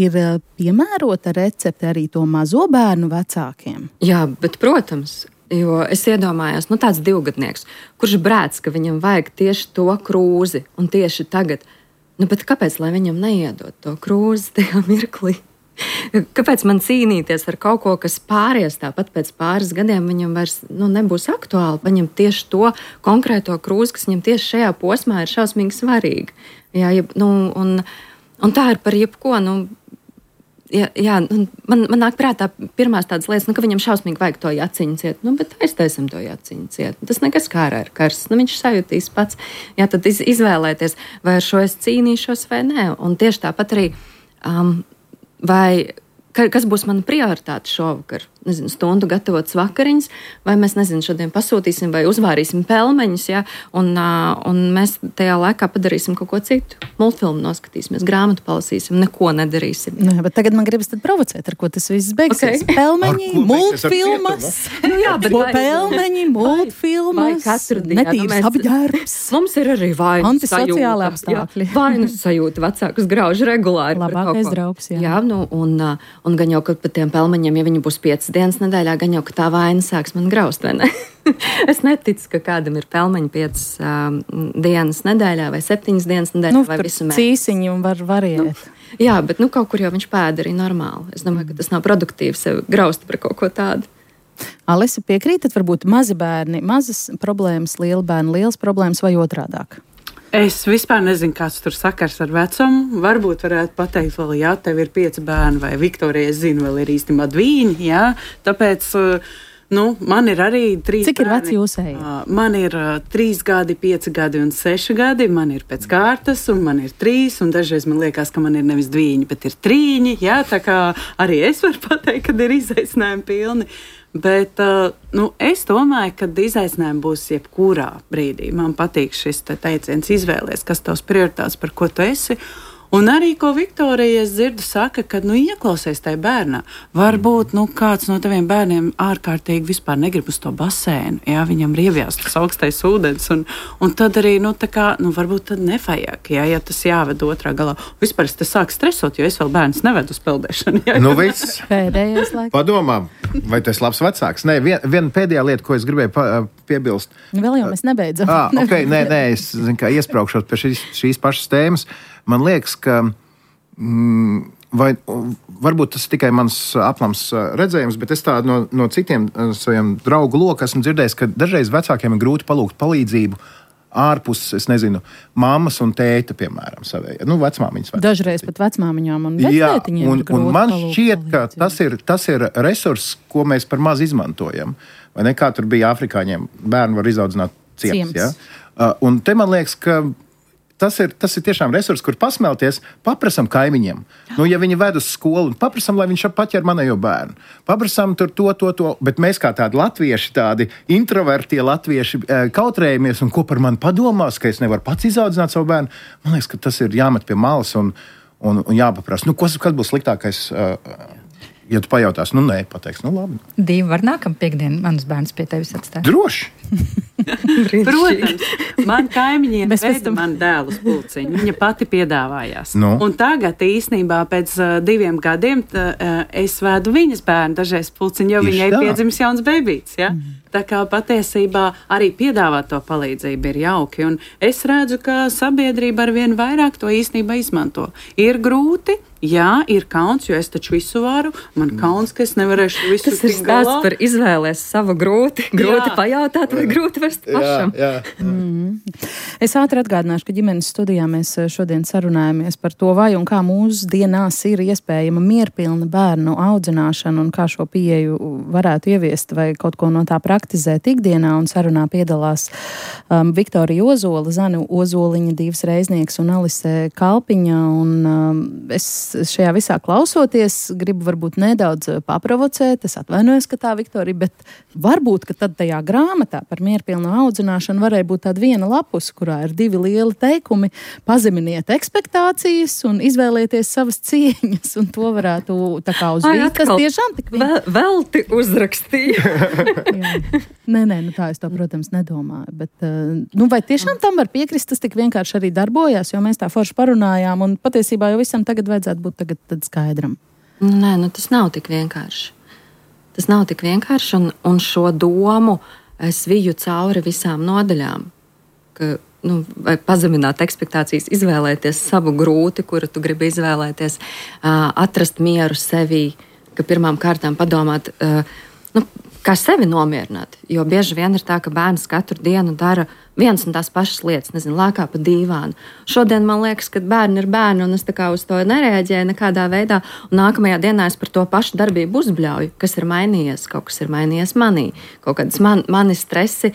ir piemērota recepte arī to mazo bērnu vecākiem? Jā, bet, protams, jo es iedomājos, tāds 2-gadnieks, kurš brēc, ka viņam vajag tieši to krūzi, un tieši tagad, bet kāpēc, lai viņam neiedot to krūzi tajā mirklī? Kāpēc man cīnīties ar kaut ko, kas pāries tāpat pēc pāris gadiem, viņam vairs nebūs aktuāli, paņemt tieši to konkrēto krūzi, kas viņam tieši šajā posmā ir šausmīgi svarīga. Jā, un tā ir par jebko. Man nāk prātā pirmās tādas lietas, ka viņam šausmīgi vajag to jaciņu ciet, bet aiztaisam to jaciņu ciet. Tas nekas kārā ir karsts, viņš sajūtīs pats. Jā, tad izvēlēties, vai ar šo es cīnīšos vai nē. Un tieši tāpat arī vai kas būs mana prioritāte šovakar? Stundu gatavotas vakariņas, vai mēs, šodien pasūtīsim vai uzvārīsim pelmeņus, ja? Un mēs tajā laikā padarīsim kaut ko citu. Multfilmu noskatīsimies, grāmatu palasīsim, neko nedarīsim. Jā, bet tagad man gribas tad provocēt, ar ko tas viss beigsies. Okay. Pelmeņi, multfilmas. Bet pelmeņi, multfilmas, katru dienu. Netīrs apģērbs. Mums ir arī vainas antisociāli apstākļi. Vainas sajūta vecākus grauž regulāri. Labākais draugs, jā. Jā, un gan jau, ka pat tiem pelmeņiem, ja viņi būs 5 dienas nedēļā, gan jau, ka tā vaina sāks man graust, vai ne? Es neticu, ka kādam ir pelmeņi 5 dienas nedēļā vai 7 dienas nedēļā vai visu mēnesi. Cīsiņi un var variēt. Jā, bet kaut kur jau viņš pēda arī normāli. Es domāju, ka tas nav produktīvi sev graust par kaut ko tādu. Alisa, piekrītat, varbūt mazi bērni, mazas problēmas, lieli bērni, liels problēmas vai otrādāk? Es vispār nezinu, kāds tur sakars ar vecumu. Varbūt varētu pateikt, vēl, jā, tev ir 5 bērni, vai Viktorija, es zinu, vēl ir īstenībā 2, jā. Tāpēc, man ir arī 3 bērni. Cik ir veci jūsēji? Man ir 3 gadi, 5 gadi un 6 gadi. Man ir pēc kārtas, un man ir 3, un dažreiz man liekas, ka man ir nevis 2, bet ir 3, jā. Tā kā arī es varu pateikt, kad ir izaicinājumi pilni. Bet es domāju, ka izaicinājumi būs jebkurā brīdī. Man patīk šis teiciens izvēlēties, kas tavs prioritāts, par ko tu esi. Un arī, ko Viktorija, es dzirdu, saka, ka, ieklausies tajā bērnā. Varbūt, kāds no taviem bērniem ārkārtīgi vispār negrib uz to basēnu. Jā, viņam rievjās tas augstais ūdens. Un tad arī, varbūt tad nevajag, ja tas jāved otrā galā. Vispār es te sāku stresot, jo es vēl bērnus nevedu uz peldēšanu. Viss. Pēdējais laiks. Padomā, vai tu esi labs vecāks? Nē, viena pēdējā lieta, ko es gribēju piebilst. Vēl jau mēs nebeidzam. Nē, es kā iespraukšos pie šīs pašas tēmas. Man liekas, ka varbūt tas ir tikai mans aplams redzējums, bet es tādu no citiem saviem draugu loku esmu dzirdējis, ka dažreiz vecākiem ir grūti palūgt palīdzību ārpus, es nezinu, mammas un tēta, piemēram, savējā. Vecmāmiņas. Dažreiz pat vecmāmiņām un vectētiņiem ir grūti un man šķiet, ka tas ir resurss, ko mēs par maz izmantojam. Vai ne, kā tur bija afrikāņiem, bērni var izaudzināt ciems. Ja? Un te man liekas, ka tas ir tiešām resurs, kur pasmelties, paprasam kaimiņiem. Ja viņi ved uz skolu, paprasam, lai viņš paķer manējo bērnu. Paprasam tur to, bet mēs kā tādi latvieši, tādi introvertie latvieši kautrējamies, un ko par mani padomās, ka es nevaru pats izaudzināt savu bērnu. Man liekas, ka tas ir jāmet pie malas un jāpaprasa. Kas būs sliktākais? Ja tu pajautās, nē, pateiks, labi. Dīva, var nākam piekdien manus bērnus pie tevis atstāt? Droši! Protams, man kaimiņiem veda man dēlu uz pulciņu. Viņa pati piedāvājās. Un tagad īstenībā pēc 2 gadiem es vedu viņas bērnu dažreiz pulciņu, jo viņai piedzimis jauns bebīts. Ja? Tā kā patiesībā arī piedāvāt to palīdzību ir jauki. Un es redzu, ka sabiedrība arvien vairāk to īstenībā izmanto. Ir grūti. Jā, ir kauns, jo es taču visu varu. Man kauns, ka es nevarēšu visu tik galā. Tas ir stāsts par izvēlēs savu grūti pajautāt vai grūti vest pašam. Jā. Es ātri atgādināšu, ka ģimenes studijā mēs šodien sarunājamies par to, vai un kā mūsdienās ir iespējama mierpilna bērnu audzināšana un kā šo pieeju varētu ieviest vai kaut ko no tā praksē praktizēt ikdienā, un sarunā piedalās Viktorija Ozola, Zana Ozoliņa, Dīvs Reiznieks un Alise Kalpiņa. Un es šajā visā klausoties gribu varbūt nedaudz paprovocēt, es atvainojos, ka tā Viktorija, bet varbūt, ka tad tajā grāmatā par mierpilnu audzināšanu varēja būt tāda viena lapus, kurā ir 2 lieli teikumi: pazeminiet ekspektācijas un izvēlieties savas cieņas, un to varētu tā kā uz vītas tiešām tik velti uzrakstīja. Nē, tā es to, protams, nedomāju, bet vai tiešām tam var piekrist, tas tik vienkārši arī darbojās, jo mēs tā forši parunājām, un patiesībā jau visam tagad vajadzētu būt tad skaidram. Nē, tas nav tik vienkārši. Tas nav tik vienkārši, un šo domu es viju cauri visām nodaļām, ka vai pazemināt ekspektācijas, izvēlēties savu grūti, kuru tu gribi izvēlēties, atrast mieru sevī, ka pirmām kārtām padomāt, kā sevi nomierināt. Jo bieži vien ir tā, ka bērns katru dienu dara vienas un tās pašas lietas, lēkā pa dīvānu. Šodien man liekas, ka bērni ir bērni, un es tā kā uz to nereaģēju nekādā veidā, un nākamajā dienā es par to pašu darbību uzbļauju, kas ir mainījies, kaut kas ir mainījies manī, kaut kādas mani stresi,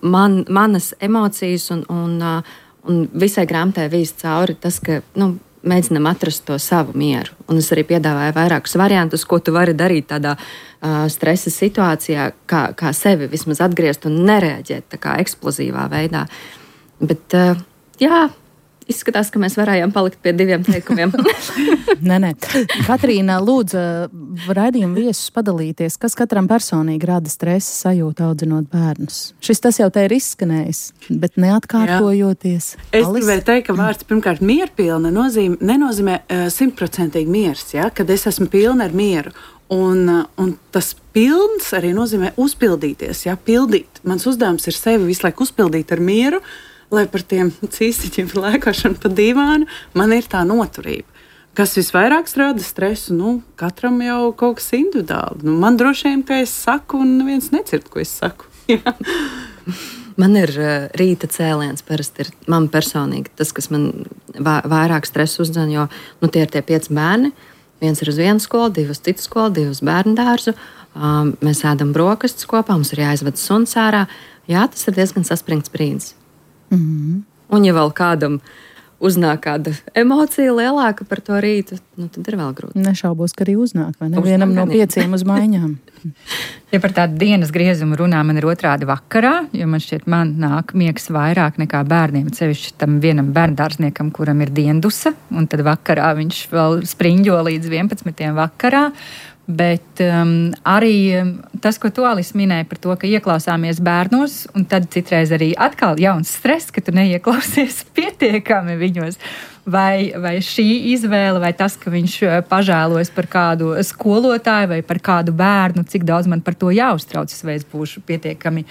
manas emocijas, un visai grāmatai vīz cauri tas, ka, mēģinam atrast to savu mieru. Un es arī piedāvāju vairākus variantus, ko tu vari darīt tādā stresa situācijā, kā sevi vismaz atgriezt un nereaģēt tā kā eksplozīvā veidā. Bet, izskatās, ka mēs varējām palikt pie 2 teikumiem. Nē. Katrīna, lūdzu, raidījuma viesus padalīties, kas katram personīgi rada stresa sajūtu audzinot bērnus. Tas jau te ir izskanējis, bet neatkārtojoties. Es gribēju teikt, ka vārds pirmkārt mierpilna nenozīmē 100% miers, kad es esmu pilna ar mieru. Un tas pilns arī nozīmē uzpildīties, pildīt. Mans uzdevums ir sevi visu laiku uzpildīt ar mieru, lai par tiem cīstiķiem par lēkošanu pa dīvānu man ir tā noturība. Kas visvairāk rada stresu, katram jau kaut kas individuāli. Man droši vien, ka es saku, un neviens nedzird, ko es saku. Man ir rīta cēliens, parasti ir man personīgi tas, kas man vairāk stresu uzdzen, jo tie ir tie 5 bērni. Viens ir uz vienu skolu, 2 uz citu skolu, 2 uz bērnu dārzu. Mēs ēdam brokastis kopā, mums ir jāizved suns ārā. Jā, tas ir diezgan saspringts brīdis. Mm-hmm. Un ja vēl kādam uznāk kāda emocija lielāka par to rītu, tad ir vēl grūti. Nešaubos, ka arī uznāk, vai ne? Vienam no 5 uz maiņām. Ja par tādu dienas griezumu runā, man ir otrādi vakarā, jo man šķiet, man nāk miegs vairāk nekā bērniem, sevišķi tam vienam bērndārzniekam, kuram ir diendusa, un tad vakarā viņš vēl spriņģo līdz 11 vakarā. Bet arī tas, ko tu, Alis, minēji par to, ka ieklausāmies bērnos, un tad citreiz arī atkal jauns stress, ka tu neieklausies pietiekami viņos. Vai šī izvēle, vai tas, ka viņš pažēlojas par kādu skolotāju vai par kādu bērnu, cik daudz man par to jāuztraucas, vai es būšu pietiekami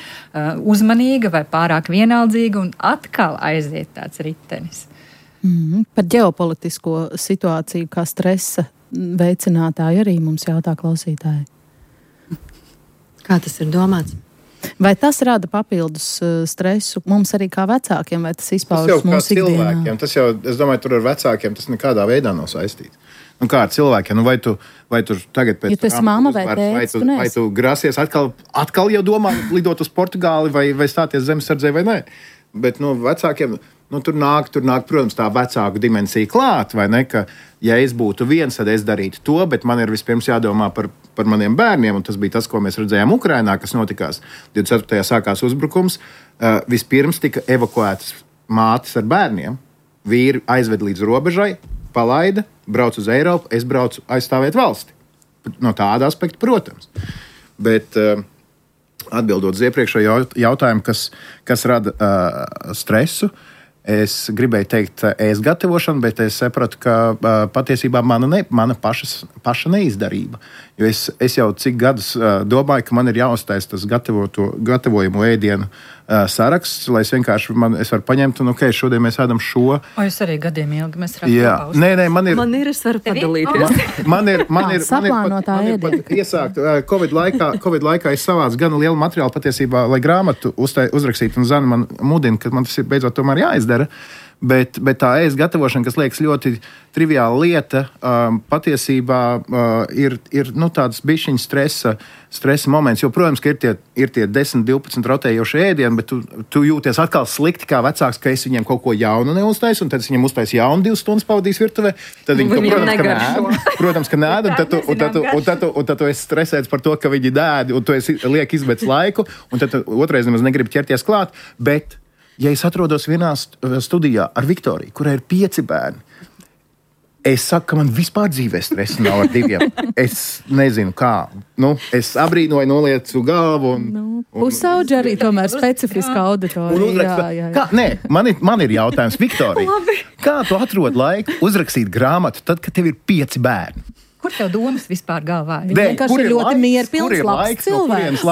uzmanīga vai pārāk vienaldzīga, un atkal aiziet tāds ritenis. Par ģeopolitisko situāciju kā stresa veicinātāji arī mums jautā klausītāji. Kā tas ir domāts? Vai tas rada papildus stresu mums arī kā vecākiem, vai tas izpaužas mūsu ikdienā? Tas jau, es domāju, tur ar vecākiem tas nekādā veidā nav saistīts. Kā ar cilvēkiem? Vai tu tagad pēc tam vai tu grasies atkal jau domā lidot uz Portugāli vai stāties zemesardzē vai nē? Bet vecākiem... Tur nāk, protams, tā vecāku dimensija klāt, vai ne, ka, ja es būtu viens, tad es darītu to, bet man ir vispirms jādomā par maniem bērniem, un tas bija tas, ko mēs redzējām Ukrainā, kas notikās. 24. sākās uzbrukums, vispirms tika evakuētas mātes ar bērniem, vīri aizved līdz robežai, palaida, brauc uz Eiropu, es braucu aizstāvēt valsti. No tāda aspekta, protams. Bet... Atbildot uz iepriekšējo jautājumu, kas rada stresu, es gribēju teikt ēst gatavošanu, bet es sapratu, ka patiesībā mana paša neizdarība. Jo es jau cik gadus domāju, ka man ir jāuztais tas gatavojumu ēdienu saraksts, lai es vienkārši es varu paņemt, un šodien mēs ēdam šo. O, jūs arī gadiem ilgi mēs rākam paust. Nē, man ir, es varu padalīties. Man ir saplānotā ēdiena. Iesākt, Covid laikā es savācu gan lielu materiālu patiesībā, lai grāmatu uzrakstītu, un Zana man mudina, ka man tas ir beidzot tomēr jāizdara. Bet tā ēst gatavošana, kas liekas ļoti triviāla lieta, patiesībā ir tāds bišķiņa stresa moments. Jo, protams, ka ir tie 10, 12 rotējošie ēdieni, bet tu jūties atkal slikti kā vecāks, ka es viņiem kaut ko jaunu neuztaisu, un tad es viņiem uztaisu jaunu 2 stundas pavadīs virtuvē. Tad viņi to, protams, ka nēd, un tad tu esi stresēts par to, ka viņi dēdi, un tu liek izbēdz laiku, un tad otrais nemaz negribi ķerties klāt. Bet, ja es atrodos vienā studijā ar Viktoriju, kurai ir 5 bērni, es saku, ka man vispār dzīvē stresa nav ar 2. Es nezinu, kā. Es abrīnoju, noliecu galvu. Pusauģi arī tomēr specifiska auditorija. Nē, man ir jautājums, Viktorija. Kā tu atrod laiku uzrakstīt grāmatu tad, kad tev ir 5 bērni? Kur tev domas vispār galvā? Vienkārši ir ļoti mierpilns, labs cilvēks.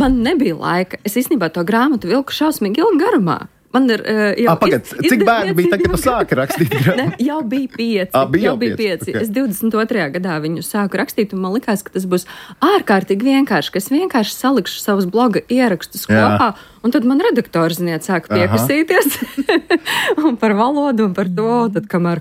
Man nebija laika. Es īstenībā to grāmatu vilku šausmīgi ilgi garumā. Man ir cik bērni bija tagad, kad tu sāki rakstīt grāmatu? Jau bija 5. Jau bija 5. Okay. Es 22. gadā viņu sāku rakstīt, un man likās, ka tas būs ārkārtīgi vienkārši, ka es vienkārši salikšu savus bloga ierakstus kopā, un tad man redaktori, sāka piekasīties un par valodu un par to, tad kamēr,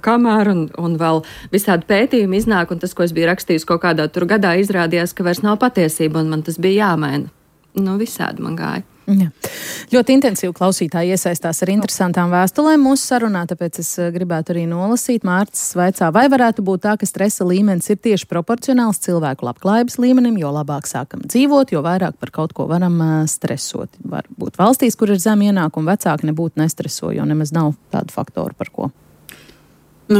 un vēl visādi pētījumi iznāk, un tas, ko es biju rakstījis kaut kādā tur gadā, izrādījās, ka vairs nav patiesība, un man tas bija jāmaina. Visādi man gāja. Jā. Ļoti intensīvi klausītāji iesaistās ar interesantām vēstulēm mūsu sarunā, tāpēc es gribētu arī nolasīt. Mārcis vaicā, vai varētu būt tā, ka stresa līmenis ir tieši proporcionāls cilvēku labklājības līmenim, jo labāk sākam dzīvot, jo vairāk par kaut ko varam stresot. Varbūt valstīs, kur ir zem ienākumu, vecāki nebūtu nestreso, jo nemaz nav tādu faktoru par ko.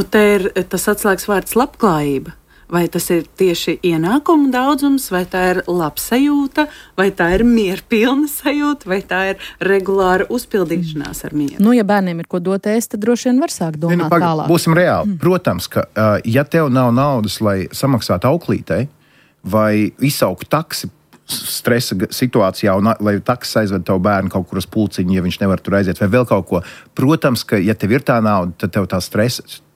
Te ir tas atslēgas vārds labklājība. Vai tas ir tieši ienākumu daudzums, vai tā ir labsajūta, vai tā ir mierpilna sajūta, vai tā ir regulāra uzpildīšanās ar mieru? Ja bērniem ir ko dot ēst, tad droši vien var sākt domāt tālāk. Būsim reāli. Protams, ka ja tev nav naudas, lai samaksātu auklītei, vai izsaukt taksi stresa situācijā, un lai taksis aizved tavu bērnu kaut kur uz pulciņu, ja viņš nevar tur aiziet, vai vēl kaut ko. Protams, ka ja tev ir tā nauda, tad tev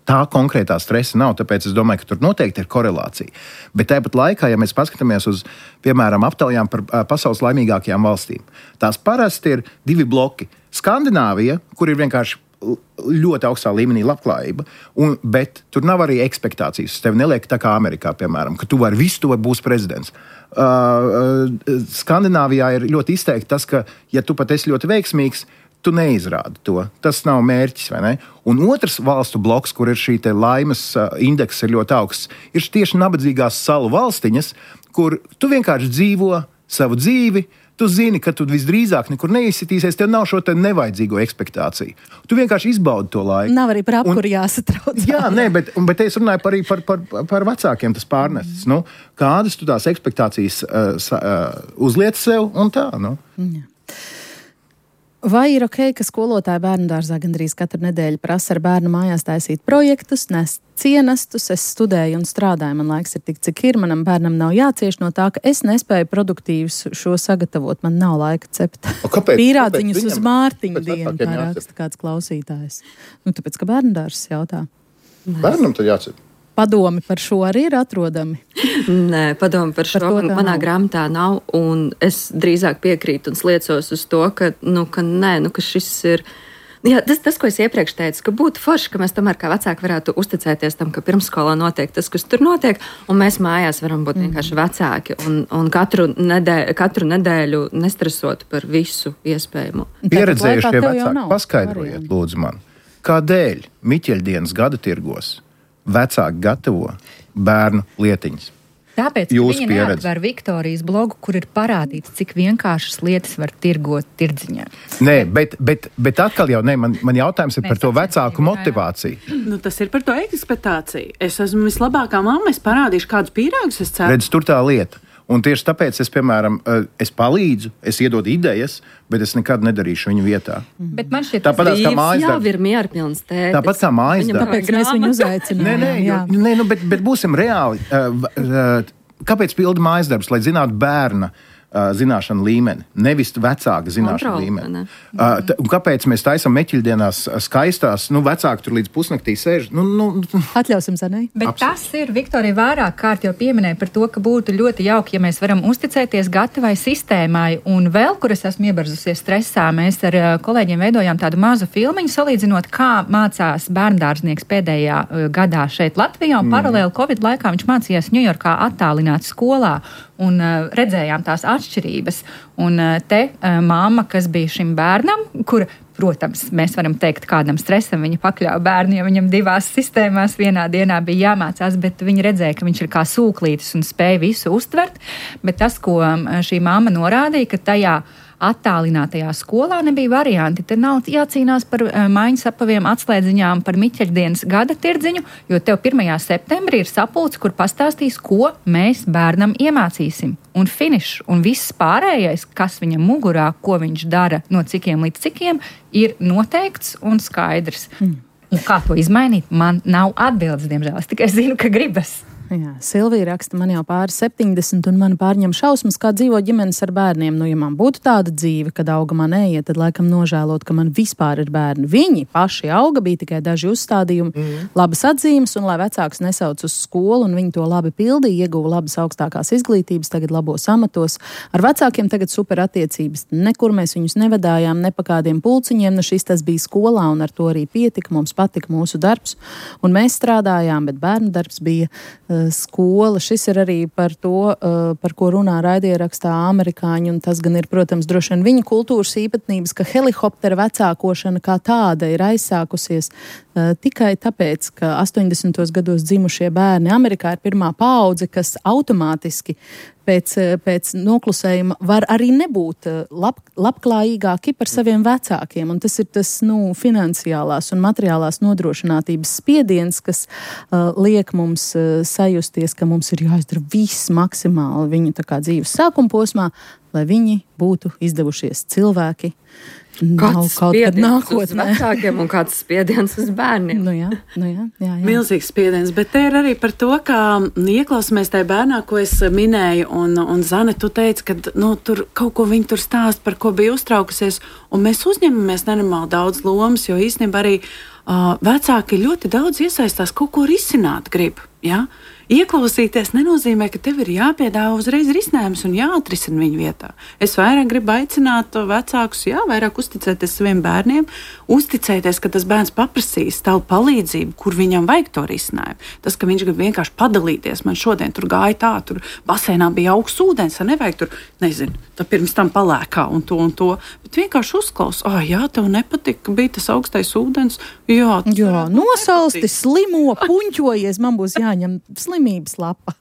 tā konkrētā stresa nav, tāpēc es domāju, ka tur noteikti ir korelācija. Bet tāpat laikā, ja mēs paskatāmies uz, piemēram, aptaujām par pasaules laimīgākajām valstīm, tās parasti ir 2 bloki. Skandināvija, kur ir vienkārši ļoti augstā līmenī labklājība, bet tur nav arī ekspektācijas. Tev neliek tā kā Amerikā, piemēram, ka tu vari būs prezidents. Skandināvijā ir ļoti izteikti tas, ka, ja tu pat esi ļoti veiksmīgs, tu neizrādi to. Tas nav mērķis, vai ne? Un otrs valstu bloks, kur ir šī laimes indeks ir ļoti augsts, ir tieši nabadzīgās salu valstiņas, kur tu vienkārši dzīvo savu dzīvi, tu zini, ka tu visdrīzāk nekur neizsitīsies, tev nav šo nevajadzīgo ekspektāciju. Tu vienkārši izbaudi to laiku. Nav arī par apkuru jāsatrauc. Jā, bet es runāju arī par vecākiem tas pārnesis. Kādas tu tās ekspektācijas uzliec sev un tā, Jā. Vai ir ok, ka skolotāji bērnu dārzā gandrīz katru nedēļu prasa ar bērnu mājās taisīt projektus, nest cienastus? Es studēju un strādāju, man laiks ir tik, cik ir. Manam bērnam nav jācieš no tā, ka es nespēju produktīvs šo sagatavot. Man nav laika cept pīrādziņus uz Mārtiņu dienu, tā raksta kāds klausītājs. Tāpēc, ka bērnu dārzs jautā. Bērnam tad jācep. Padomi par šo arī ir atrodami? Nē, padomi par šo manā grāmatā nav, un es drīzāk piekrītu un sliecos uz to, ka šis ir... Jā, tas, ko es iepriekš teicu, ka būtu forši, ka mēs tomēr kā vecāki varētu uzticēties tam, ka pirmsskolā notiek tas, kas tur notiek, un mēs mājās varam būt vienkārši vecāki un katru nedēļu nestresot par visu iespējamo. Pieredzējušie vecāki, paskaidrojiet, lūdzu man, kādēļ Miķeļdienas gada tirgos vecāki gatavo bērnu lietiņas? Tāpēc, ka viņi neatver Viktorijas blogu, kur ir parādīts, cik vienkāršas lietas var tirgot tirdziņā. Nē, bet atkal jau man jautājums ir par to vecāku motivāciju. Tas ir par to ekspektāciju. Es esmu vislabākā mamma, es parādīšu, kādus pīrāgus es ceru. Redz, tur tā lieta. Un tieši tāpēc es, piemēram, palīdzu, es iedodu idejas, bet es nekad nedarīšu viņu vietā. Bet man šķiet, tāpat kā mājas darbs. Jā, ir mierpilns tētis. Tāpat kā mājas darbs. Tāpēc mēs viņu uzaicinām. Bet būsim reāli. Kāpēc pilda mājas darbs? Lai zinātu bērna zināšanu līmeni, nevis vecāka zināšanu līmeni. Un kāpēc mēs taisam meķiļdienās skaistās, vecāki tur līdz pusnaktī sēž? Atļausim, Zanai. Bet tas ir, Viktorija, vairāk kārt jau pieminēja par to, ka būtu ļoti jauki, ja mēs varam uzticēties gatavai sistēmai. Un vēl, kur es esmu iebarzusies stresā, mēs ar kolēģiem veidojām tādu mazu filmiņu, salīdzinot, kā mācās bērndārznieks pēdējā gadā šeit Latvijā, un paralēli Covid laikā viņš mācījās Ņujorkā attālināti skolā. Un redzējām tās atšķirības. Un te māma, kas bija šim bērnam, kura, protams, mēs varam teikt, kādam stresam viņa pakļāva bērnu, jo viņam 2 sistēmās vienā dienā bija jāmācās, bet viņa redzēja, ka viņš ir kā sūklītis un spēja visu uztvert. Bet tas, ko šī māma norādīja, ka tajā attālinātajā skolā nebija varianti. Te nav jācīnās par maiņas apaviem, atslēdziņām, par Miķeļdienas gada tirdziņu, jo tev 1. septembrī ir sapulce, kur pastāstīs, ko mēs bērnam iemācīsim. Un finišs, un viss pārējais, kas viņam mugurā, ko viņš dara, no cikiem līdz cikiem, ir noteikts un skaidrs. Un kā to izmainīt, man nav atbildes, diemžēl. Es tikai zinu, ka gribas. Jā, Silvija raksta, man jau pāri 70, un man pārņem šausmas, kā dzīvo ģimenes ar bērniem. Ja man būtu tāda dzīve, kad auga man eiet, tad laikam nožēlot, ka man vispār ir bērni. Viņi paši auga, bija tikai daži uzstādījumi, labas atzīmes, un lai vecāks nesauc uz skolu, un viņi to labi pildīja, ieguva labas augstākās izglītības, tagad labos amatos. Ar vecākiem tagad super attiecības. Nekur mēs viņus nevadājām, ne pa kādiem pulciņiem, šis tas bija skolā, un ar to arī pietika, mums patika mūsu darbs, un mēs strādājām, bet bērnu darbs bija skola. Šis ir arī par to, par ko runā raidierakstā amerikāņi, un tas gan ir, protams, droši vien viņa kultūras īpatnības, ka helikoptera vecākošana kā tāda ir aizsākusies tikai tāpēc, ka 80. gados dzimušie bērni Amerikā ir pirmā paudze, kas automātiski pēc noklusējuma var arī nebūt labklājīgāki par saviem vecākiem. Un tas ir tas, finansiālās un materiālās nodrošinātības spiediens, kas liek mums sajusties, ka mums ir jāizdara viss maksimāli viņu tā kā dzīves sākuma posmā, lai viņi būtu izdevušies cilvēki. Kāds spiediens uz vecākiem un kāds spiediens uz bērniem. Jā. Milzīgs spiediens, bet te ir arī par to, ka ieklausāmies tajā bērnā, ko es minēju, un Zane, tu teici, ka tur kaut ko viņi tur stāst, par ko bija uztraukusies, un mēs uzņemamies nenormāli daudz lomas, jo īstenībā arī vecāki ļoti daudz iesaistās, kaut ko risināt grib, ja? Ieklausīties nenozīmē, ka tev ir jāpiedāvā uzreiz risinājums un jāatrisina viņu vietā. Es vairāk gribu aicināt vecākus, vairāk uzticēties saviem bērniem, uzticēties, ka tas bērns paprasīs tavu palīdzību, kur viņam vajag to risinājumu. Tas, ka viņš grib vienkārši padalīties, man šodien tur gāja tā, tur basēnā bija augsts ūdens, nevajag tur, tā pirms tam palēkā un to, bet vienkārši uzklaus, tev nepatika, ka bija tas augstais ūdens, nosalsti, slimo, puņķojies, man būs jāņem slimības lapa.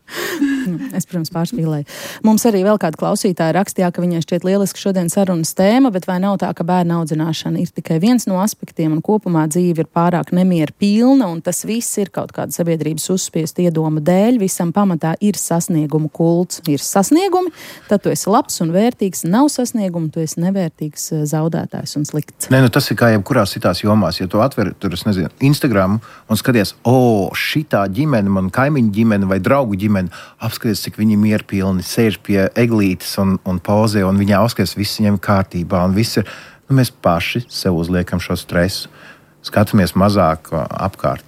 Es, protams, pārspīlēju. Mums arī vēl kāda klausītāja rakstījā, ka viņai šķiet lieliski šodien sarunas tēma, bet vai nav tā, ka bērna audzināšana ir tikai viens no aspektiem un kopumā dzīve ir pārāk nemieru pilna un tas viss ir kaut kāda sabiedrības uzspiesta iedoma dēļ, visam pamatā ir sasniegumu kults. Ir sasniegumi, tad tu esi labs un vērtīgs, nav sasniegumu, tu esi nevērtīgs, zaudētājs un slikts. Tas ir kā jebkurās citās jomās, ja tu atver tur, Instagram un skaties, šitā ģimene, man kaimiņu ģimene vai draugu ģimene, apskaties, cik viņi mierpilni sēž pie eglītes un pauzē, un viņā apskaties, viss viņiem kārtībā, un viss ir, mēs paši sev uzliekam šo stresu, skatāmies mazāk apkārt.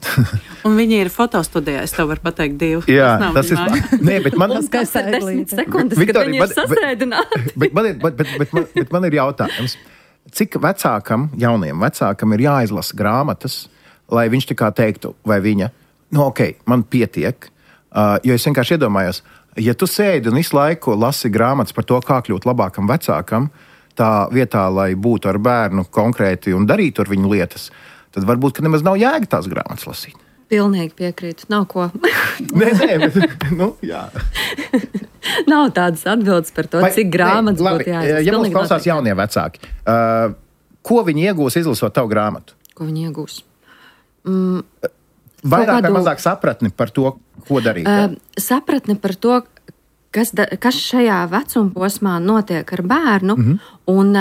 Un viņi ir fotostudijā, es tev varu pateikt 2. Jā, tas ir. Nē, bet man ir 10 sekundes, kad viņi ir sasēdināti. Bet man ir jautājums, cik jauniem vecākam ir jāizlasa grāmatas, lai viņš tā kā teiktu, vai viņa, man pietiek, jo es vienkārši iedomājos, ja tu sēdi un visu laiku lasi grāmatas par to, kā kļūt labākam vecākam, tā vietā, lai būtu ar bērnu konkrēti un darītu ar viņu lietas, tad varbūt, ka nemaz nav jēga tās grāmatas lasīt. Pilnīgi piekrītu, nav ko. Jā. Nav tādas atbildes par to, cik grāmatas būtu jāizlasa. Ja mums klausās jaunie vecāki, ko viņi iegūs izlasot tavu grāmatu? Ko viņi iegūs? Vairāk vai mazāk sapratni par to, ko darīt? Sapratni par to, kas šajā vecuma posmā notiek ar bērnu, un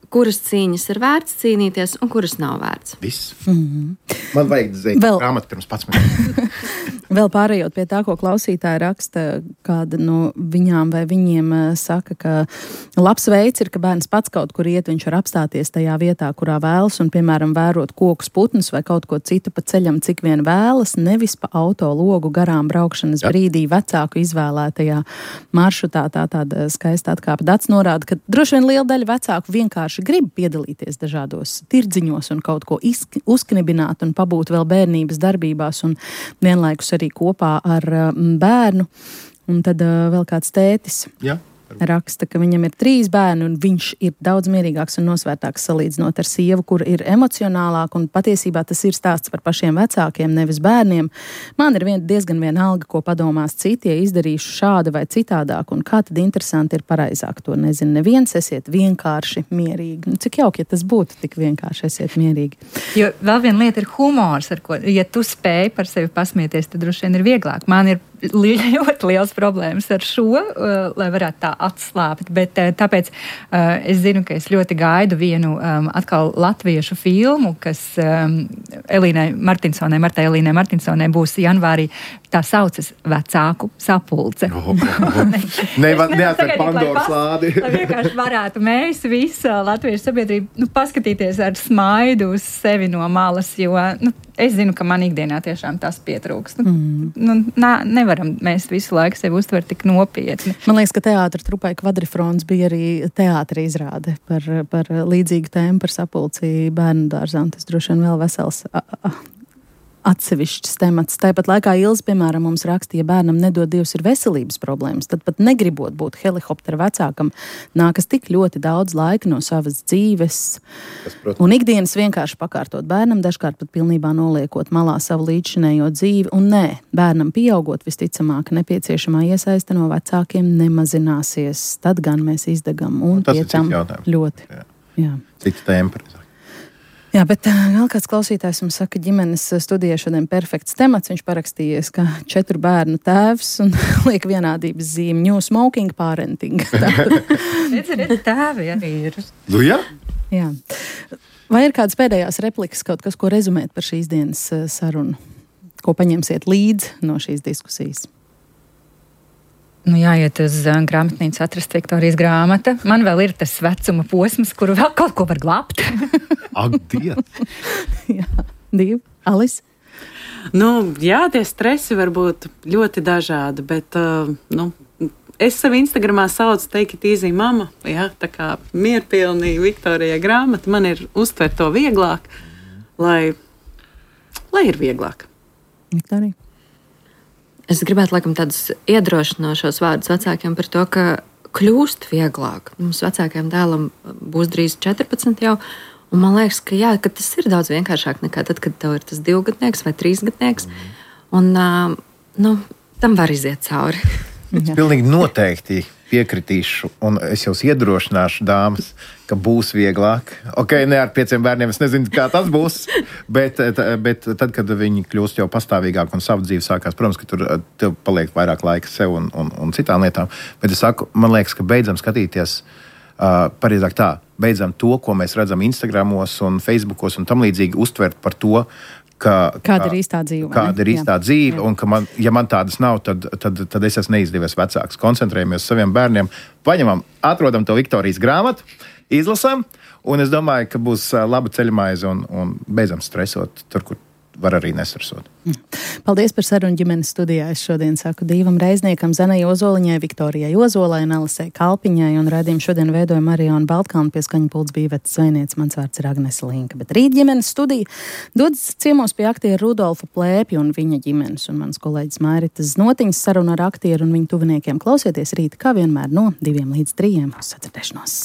kuras cīņas ir vērts cīnīties un kuras nav vērts. Viss. Man vajag grāmatu pirms 11. Vēl pārējot pie tā, ko klausītāji raksta, kāda no viņām vai viņiem saka, ka labs veids ir, ka bērns pats kaut kur iet, viņš var apstāties tajā vietā, kurā vēlas un, piemēram, vērot kokus, putnus vai kaut ko citu pa ceļam, cik vien vēlas, nevis pa auto logu garām braukšanas brīdī vecāku izvēlētajā maršrutā. Tāda skaista atkāpe. Dats norāda, ka droši vien liela daļa vecāku vienkārši grib piedalīties dažādos tirdziņos un kaut ko uzknibināt un pabūt vēl bērnības darbībās un vienlaikus arī kopā ar bērnu. Un tad vēl kāds tētis raksta, ka viņam ir 3 bērni un viņš ir daudz mierīgāks un nosvērtāks salīdzinot ar sievu, kur ir emocionālāk, un patiesībā tas ir stāsts par pašiem vecākiem, nevis bērniem. Man ir diezgan vienalga, ko padomās citi, ja izdarīšu šādi vai citādāk, un kā tad interesanti ir pareizāk, to nezinu neviens, esiet vienkārši mierīgi. Cik jauki, ja tas būtu tik vienkārši, esiet mierīgi. Jo vēl viena lieta ir humors, ar ko, ja tu spēj par sevi pasmieties, tad droši vien ir vieglāk. Man ir ļoti liels problēmas ar šo, lai varētu tā atslāpt, bet tāpēc es zinu, ka es ļoti gaidu vienu atkal latviešu filmu, kas Martai Elīnai Martinsonai būs janvārī, tā saucas Vecāku sapulce. Neatver Pandoras lādi. Lai vienkārši varētu mēs visa latviešu sabiedrība paskatīties ar smaidu uz sevi no malas, jo es zinu, ka man ikdienā tiešām tas pietrūks. Nevaram mēs visu laiku sevi uztvert tik nopietni. Man liekas, ka teātra trupai Kvadrifrons bija arī teātra izrāde par līdzīgu tēmu par sapulci bērnu dārzā. Tas droši vien vēl vesels atsevišķs temats. Tāpat laikā Ilze, piemēram, mums rakstīja, ja bērnam nedod Dievs ir veselības problēmas, tad pat negribot būt helikoptera vecākam, nākas tik ļoti daudz laika no savas dzīves. Un ikdienas vienkārši pakārtot bērnam, dažkārt pat pilnībā noliekot malā savu līdzšinējo dzīvi. Un nē, bērnam pieaugot visticamāk nepieciešamā iesaiste no vecākiem nemazināsies. Tad gan mēs izdegam un pie tam ļoti. Jā. Cits tēma. Jā, bet vēl kāds klausītājs mums saka, ģimenes studijā šodien perfekts temats. Viņš parakstījies, ka 4 bērnu tēvs un liek vienādības zīmi new smoking parenting. Redz, tēvi arī ir. Jā? Jā. Vai ir kādas pēdējās replikas, kaut kas, ko rezumēt par šīs dienas sarunu? Ko paņemsiet līdzi no šīs diskusijas? Jāiet uz grāmatnīcu atrast Viktorijas grāmata. Man vēl ir tas vecuma posms, kuru vēl kaut ko var glābt. Ak, Dievs! Jā, Dieva, Alis? Jā, tie stresi var būt ļoti dažādi, bet, es sevi Instagramā saucu Take it easy mama, tā kā mierpilnī Viktorijai grāmata. Man ir uztvert to vieglāk, lai ir vieglāk. Viktorija? Es gribētu, laikam, tādus iedrošinošos vārdus vecākiem par to, ka kļūst vieglāk. Mums vecākajam dēlam būs drīz 14 jau, un man liekas, ka tas ir daudz vienkāršāk nekā tad, kad tev ir tas 2-gadnieks vai 3-gadnieks, un tam var iziet cauri. Es pilnīgi noteikti piekritīšu, un es jūs iedrošināšu, dāmas, ka būs vieglāk. Ne ar 5 bērniem, es nezinu, kā tas būs, bet tad, kad viņi kļūst jau pastāvīgāk un savu dzīvi sākās, protams, ka tur tev paliek vairāk laika sev un citām lietām. Bet es saku, man liekas, ka beidzam skatīties, pareizāk tā, beidzam to, ko mēs redzam Instagramos un Facebookos un tam līdzīgi uztvert par to, kāda ir īstā dzīve. Kāda ir īstā dzīve, un ka ja man tādas nav, tad es esmu neizdevies vecāks. Koncentrējamies uz saviem bērniem, atrodam to Viktorijas grāmatu, izlasam, un es domāju, ka būs laba ceļamaize un beidzam stresot tur, kur var arī nesresot. Paldies par sarunu ģimenes studijā. Es šodien saku Dīvam Reizniekam, Zanai Ozoliņai, Viktorijai Ozolai un Alisei Kalpiņai, un raidījumu šodien veidoja Mariona Baltkalna, pie skaņa pults bija Ivetas Zvejniece, mans vārds ir Agnese Linka. Bet rīt ģimenes studija dodas ciemos pie aktiera Rudolfa Plēpja un viņa ģimenes, un mans kolēģis Mairitas Znotiņas saruna ar aktieru un viņu tuviniekiem. Klausieties rīt, kā vienmēr, no 2 līdz 3 uz sadzirdēšanos.